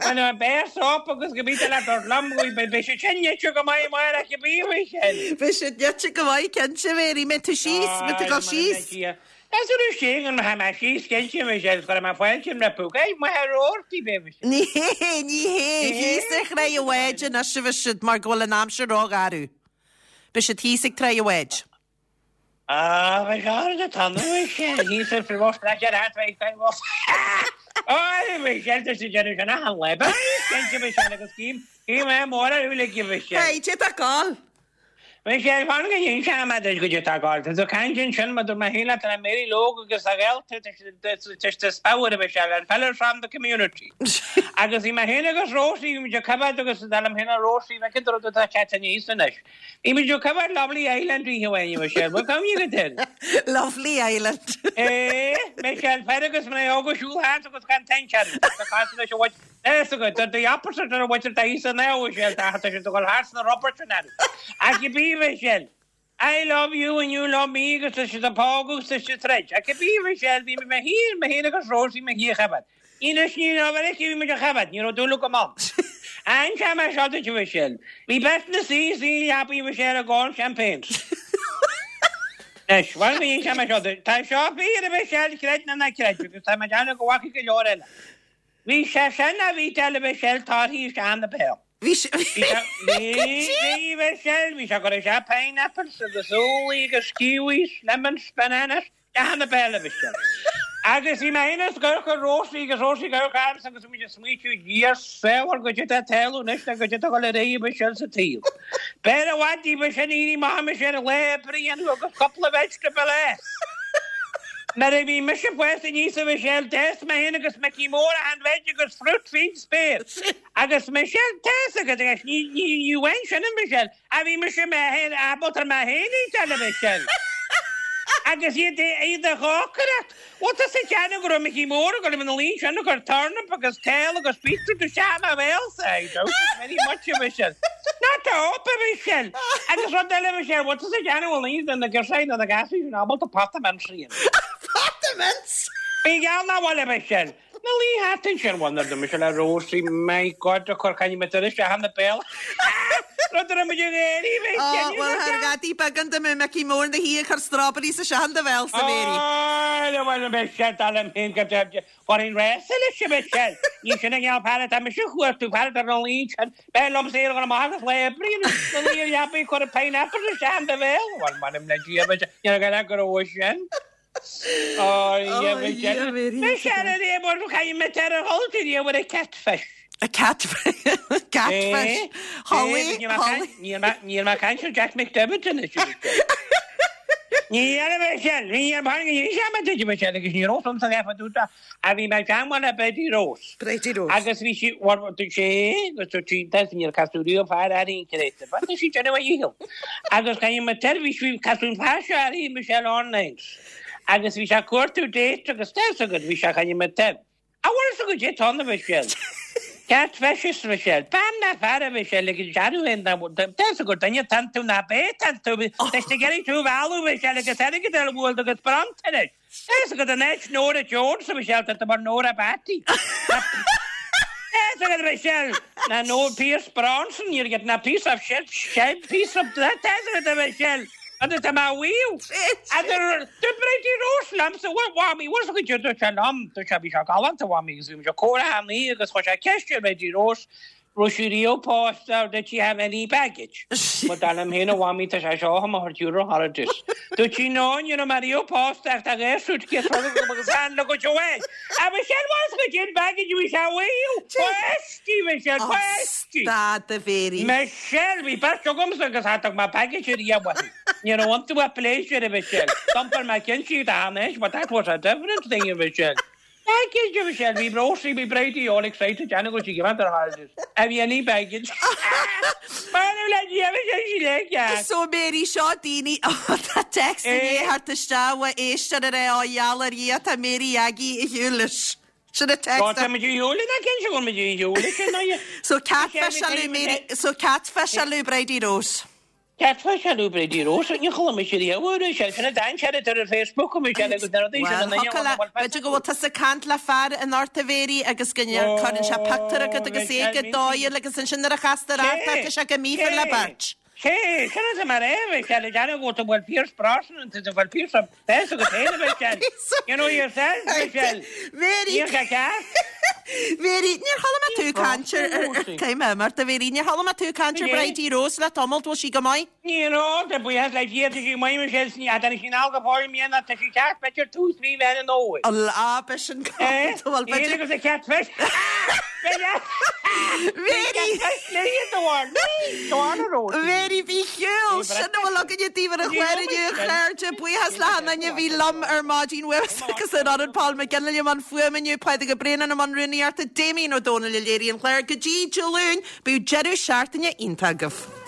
Bhain mé beir sop agus go bhí le dort liom, beidh sé sin nite go maith amárach a bhí Michelle. Beidh sé nite go maith cinnte Mary, mbeidh tú síos, mbeidh tú ag dul síos. Is ar sé go mbeidh mé síos cinnte Michelle, chuir mé fáilte rompu, Ag maith ar orthaí beidh Michelle. Ní hé, ní hé, thíos ar Thráigh a' Bháid anois a bheidh siad mar go bhfuil an aimsir rógharbh. Beidh siad thíos ag Tráigh a' Bháid. Ah, bhí gar do tá nó sé thíos ar fir bhos leis ar hat bheith gan bhos. Ó, bhí sé tá sé déanamh sin achan lá. Ba cinnte bhí sé agus cím cím é mór ar uilig bhí sé. Hey, cé tá ag gabháil? Bhí sé fan go dhéan sé am duit go dtí tá ag gabháil. Tá tú caint ansin mar dúirt mé féin leat le Mary Logue agus a ghaolta tá sé spabhar a bhí sé an fella from the community. Agus bhí mé féin agus Rosie bhí muid ag coimhéad agus dar liom féin a Rosie bheith go dtug tá sé aníos anois. Bhí muid ag coimhéad Lovely Island oíche amháin, a Michelle. Bhfuil cuimhne agat air? Lovely Island. Eh, Michelle, fear agus mná óga ag siúl thart agus gan teint orthu. Tá cás leis an bhfuil fhios agat, the the opposite ar an bhfuil tá thíos an a Michelle, tá tá siad ag dul thart sna rubair sin orthu. Ach cibé, Michelle, I love you and you love me agus tá siad ag pógadh agus tá siad ag troid. Ach cibé, Michelle, bhí mé féin, mé féin agus Rosie, mé féin a choimhéad. Anois ní raibh ar aici, bhí muid á choimhéad, ní raibh dúil agam ann. An t-am seo duit a Mhichelle. Bhí beirt ina suí sa leabaidh a Mhichelle ag ól champagnes. Anois, bhuel bhí an t-am seo duit. Tá seo fíor a Mhichelle, creid nó ná creid, agus tá mé ag déanamh go bhfaca go leor eile. Bhí sé sin a bhí de a Mhichelle torthaí isteach ina béal. Bhí sé, bhí, bhí, Michelle, bhí sé ag cur isteach pineapples agus úllaí agus kiwis, lemons, bananas, isteach ina béal a Mhichelle. Agus bhí mé féin ag amharc ar Rosie agus Rosie ag amharc ormsa agus bhí muid ag smaoitiú, Dia saor goidé atá ag tarlú anois nó goidé atá ag dul ar aghaidh a Mhichelle sa tsaol. B'fhearr i bhfad daoibh sin éirí amach a Mhichelle lá oibre a dhéanamh agus cúpla vegetable a. Nuair a bhí mise fásta aníos a Mhichelle, d'fhás mé féin agus Micí Mór achan veg agus fruit fén spéir. Agus Michelle, tá fhios agat anois, ní, ní, ní bhain sin a Michelle, a bhí mise mé féin, ábalta mé féin a iteáil a Michelle. Agus iad, iad a dhócaireacht. Bhfuil tusa ag déanamh go raibh Micí Mór ag dul ina luí ansin ag cur turnip agus kale agus beetroot isteach i mo bhéalsa? I doubt it very much a Michelle. Not a hope a Michelle. Agus rud eile a Michelle, bhfuil tusa ag déanamh go bhfuil aon duine na girseachaí nó na gasúir sin ábalta pota mince a dhéanamh? Pota mince? Bí geall nach bhfuil a Michelle. Na luí thart ansin, bhuel nuair a d'imigh sé le Rosie, my God, a chur caithfidh mé turas isteach ina béal. Rud a raibh muid ag éirí, bhí Ó, cinneadh bhuel, aige. thar ghadaí beagán de mé Micí Mór na hí ag cur strawberries isteach in do bhéalsa, Mary. Ó, bhuel, beidh sé dall liom féin go deimhin. Chuirfinn rása leis, a Mhichelle. Ní sin an cineál fear atá mise a chuartú, fear atá ina luí ansin. B'fhearr liomsa éirí amach agus lá oibre a dhéanamh, ná luí ar leabaidh ag cur pineapples isteach in do bhéal. Bhuel, m'anam le Dia, Michelle, níor ghaire go raibh sin. Catfish. A catfish. Catfish. Holly, Holly. Níl mé ag caint ar Jack McDevitt anois. Ní dhéanfaidh mé sin. Ní dhéanfaidh mé sin agus ní raibh san leath dúta a bhí mé ag teagmháil le Bridie Rose. Bridie Rose. Agus bhí sí, dúirt sé, agus dúirt sí, tá níor casadh riamh fear uirthi an créatúr. Bhuel, tá sí ag déanamh a dhícheall. Agus caithfidh mé seirbhís, bhí casadh an fear seo uirthi, Michelle online. Agus bhí sé ag cuartú date agus tá fhios agat, bhí sé caithfidh mé taobh. A bhfuil fhios agat é tá na Michelle. Catfish Michelle. Bean ná fear a Michelle ag an dearadh féin dá tá fhios agat duine tá tú ná bé tá tú. Tá sé ag iarraidh tú a mhealladh Michelle agus airgead ar bhuail agus bronntanais. Tá fhios agat in áit Nóra Jones a Michelle tá tú mar Nóra Batty. Tá fhios agat Michelle ná no Pierce Bronson you're getting a piece of shit shit piece of tá fhios agat a Michelle agus tá mé mhaíomh agus dúirt Bridie Rose liomsa bhuel mhamaí bhfuil fhios agat dúirt sé liom dúirt sé bhí sé galánta mhamaí agus bhí muid ag comhrá thar oíche agus chuir sé ceist ar Bridie Rose raibh sí riamh pósta or did she have any baggage? Bhuel dar liom féin a mhamaí tá sé seo chun mo chuid euro holidays. Dúirt sí no ní raibh mé riamh pósta ach tá dhá suitcase agam agus an luggage amháin. A Mhichelle bhfuil fhios agat cén baggage a bhí sé a mhaíomh? Páistí Michelle, páistí! Stad a Mhéirí. Michelle, bhí beirt agamsa agus cha dtug mé baggage ariamh uaithi. Ní raibh iontu ach pléisiúr a Mhichelle. D'iompair mé ceann siad a anois but that was a different thing a Mhichelle. Baggage a Mhichelle, bhí Rosie, bhí Bridie all excited déanamh go dtí go ar holidays. Have you any baggage? M'anam le Dia a Mhichelle, sí le ceart. So Mary, seo daoine, tá text i ndiaidh theacht isteach ó éisteoir ag rá ó gheall ar Dhia tá Mary Aggie ar shiúl leis. Sin an text. Tá muid ar shiúl ina cinn, go bhfuil muid ar shiúl leis sin, aye. So catfish alu Mary, so catfish alu Bridie Rose. Catfish alu Bridie Rose, ní chuala mise riamh uair sin, sin an dainséar atá ar Facebook a Michelle agus na rudaí sin Bhuel, an duine thiocfadh le, b'fhéidir go bhfuil tusa ag caint le fear anocht a Mhéirí agus go gcuireann sé pictiúr agat agus é go dóighiúil agus ansin nuair a chastar ort é tá sé go míofar le beirt. Sé, sin atá mar é, a Mhichelle, ag déanamh go bhfuil Pierce Brosnan, tá bhfuil Pierce Tá fhios agat féin a Mhichelle. You know yourself, Michelle. Mary. Níl sé ceart. Mary, níor chuala mé tú ag caint ar, caithfidh mé imeacht a Mhary, níor chuala mé tú ag caint ar Bridie Rose le tamall, bhfuil sí go maith? Ní raibh, tá buíochas le Dia, tá sí maith Michelle, ní fheadar sí anall go fóill i mbliana, tá sí ceart, b'fhéidir tús mhí Mheán an Fhómhair. Á, b'shin bhuel b'fhéidir. Agus a catfish. Mary! Mary, bí ar shiúl! Sin a bhfuil againne daoibh ar an chlár inniu, a chairde. Buíochas le hachan duine a bhí liom ar maidin uaimse agus ar Fhoireann Paul McGinley i mbun fuaime inniu, Pádraig Ó Braonáin i mbun rúnaíochta, Damien Ó Dónaill a léirigh an clár. Go dtí Dé Luain, bíodh deireadh seachtaine iontach agaibh.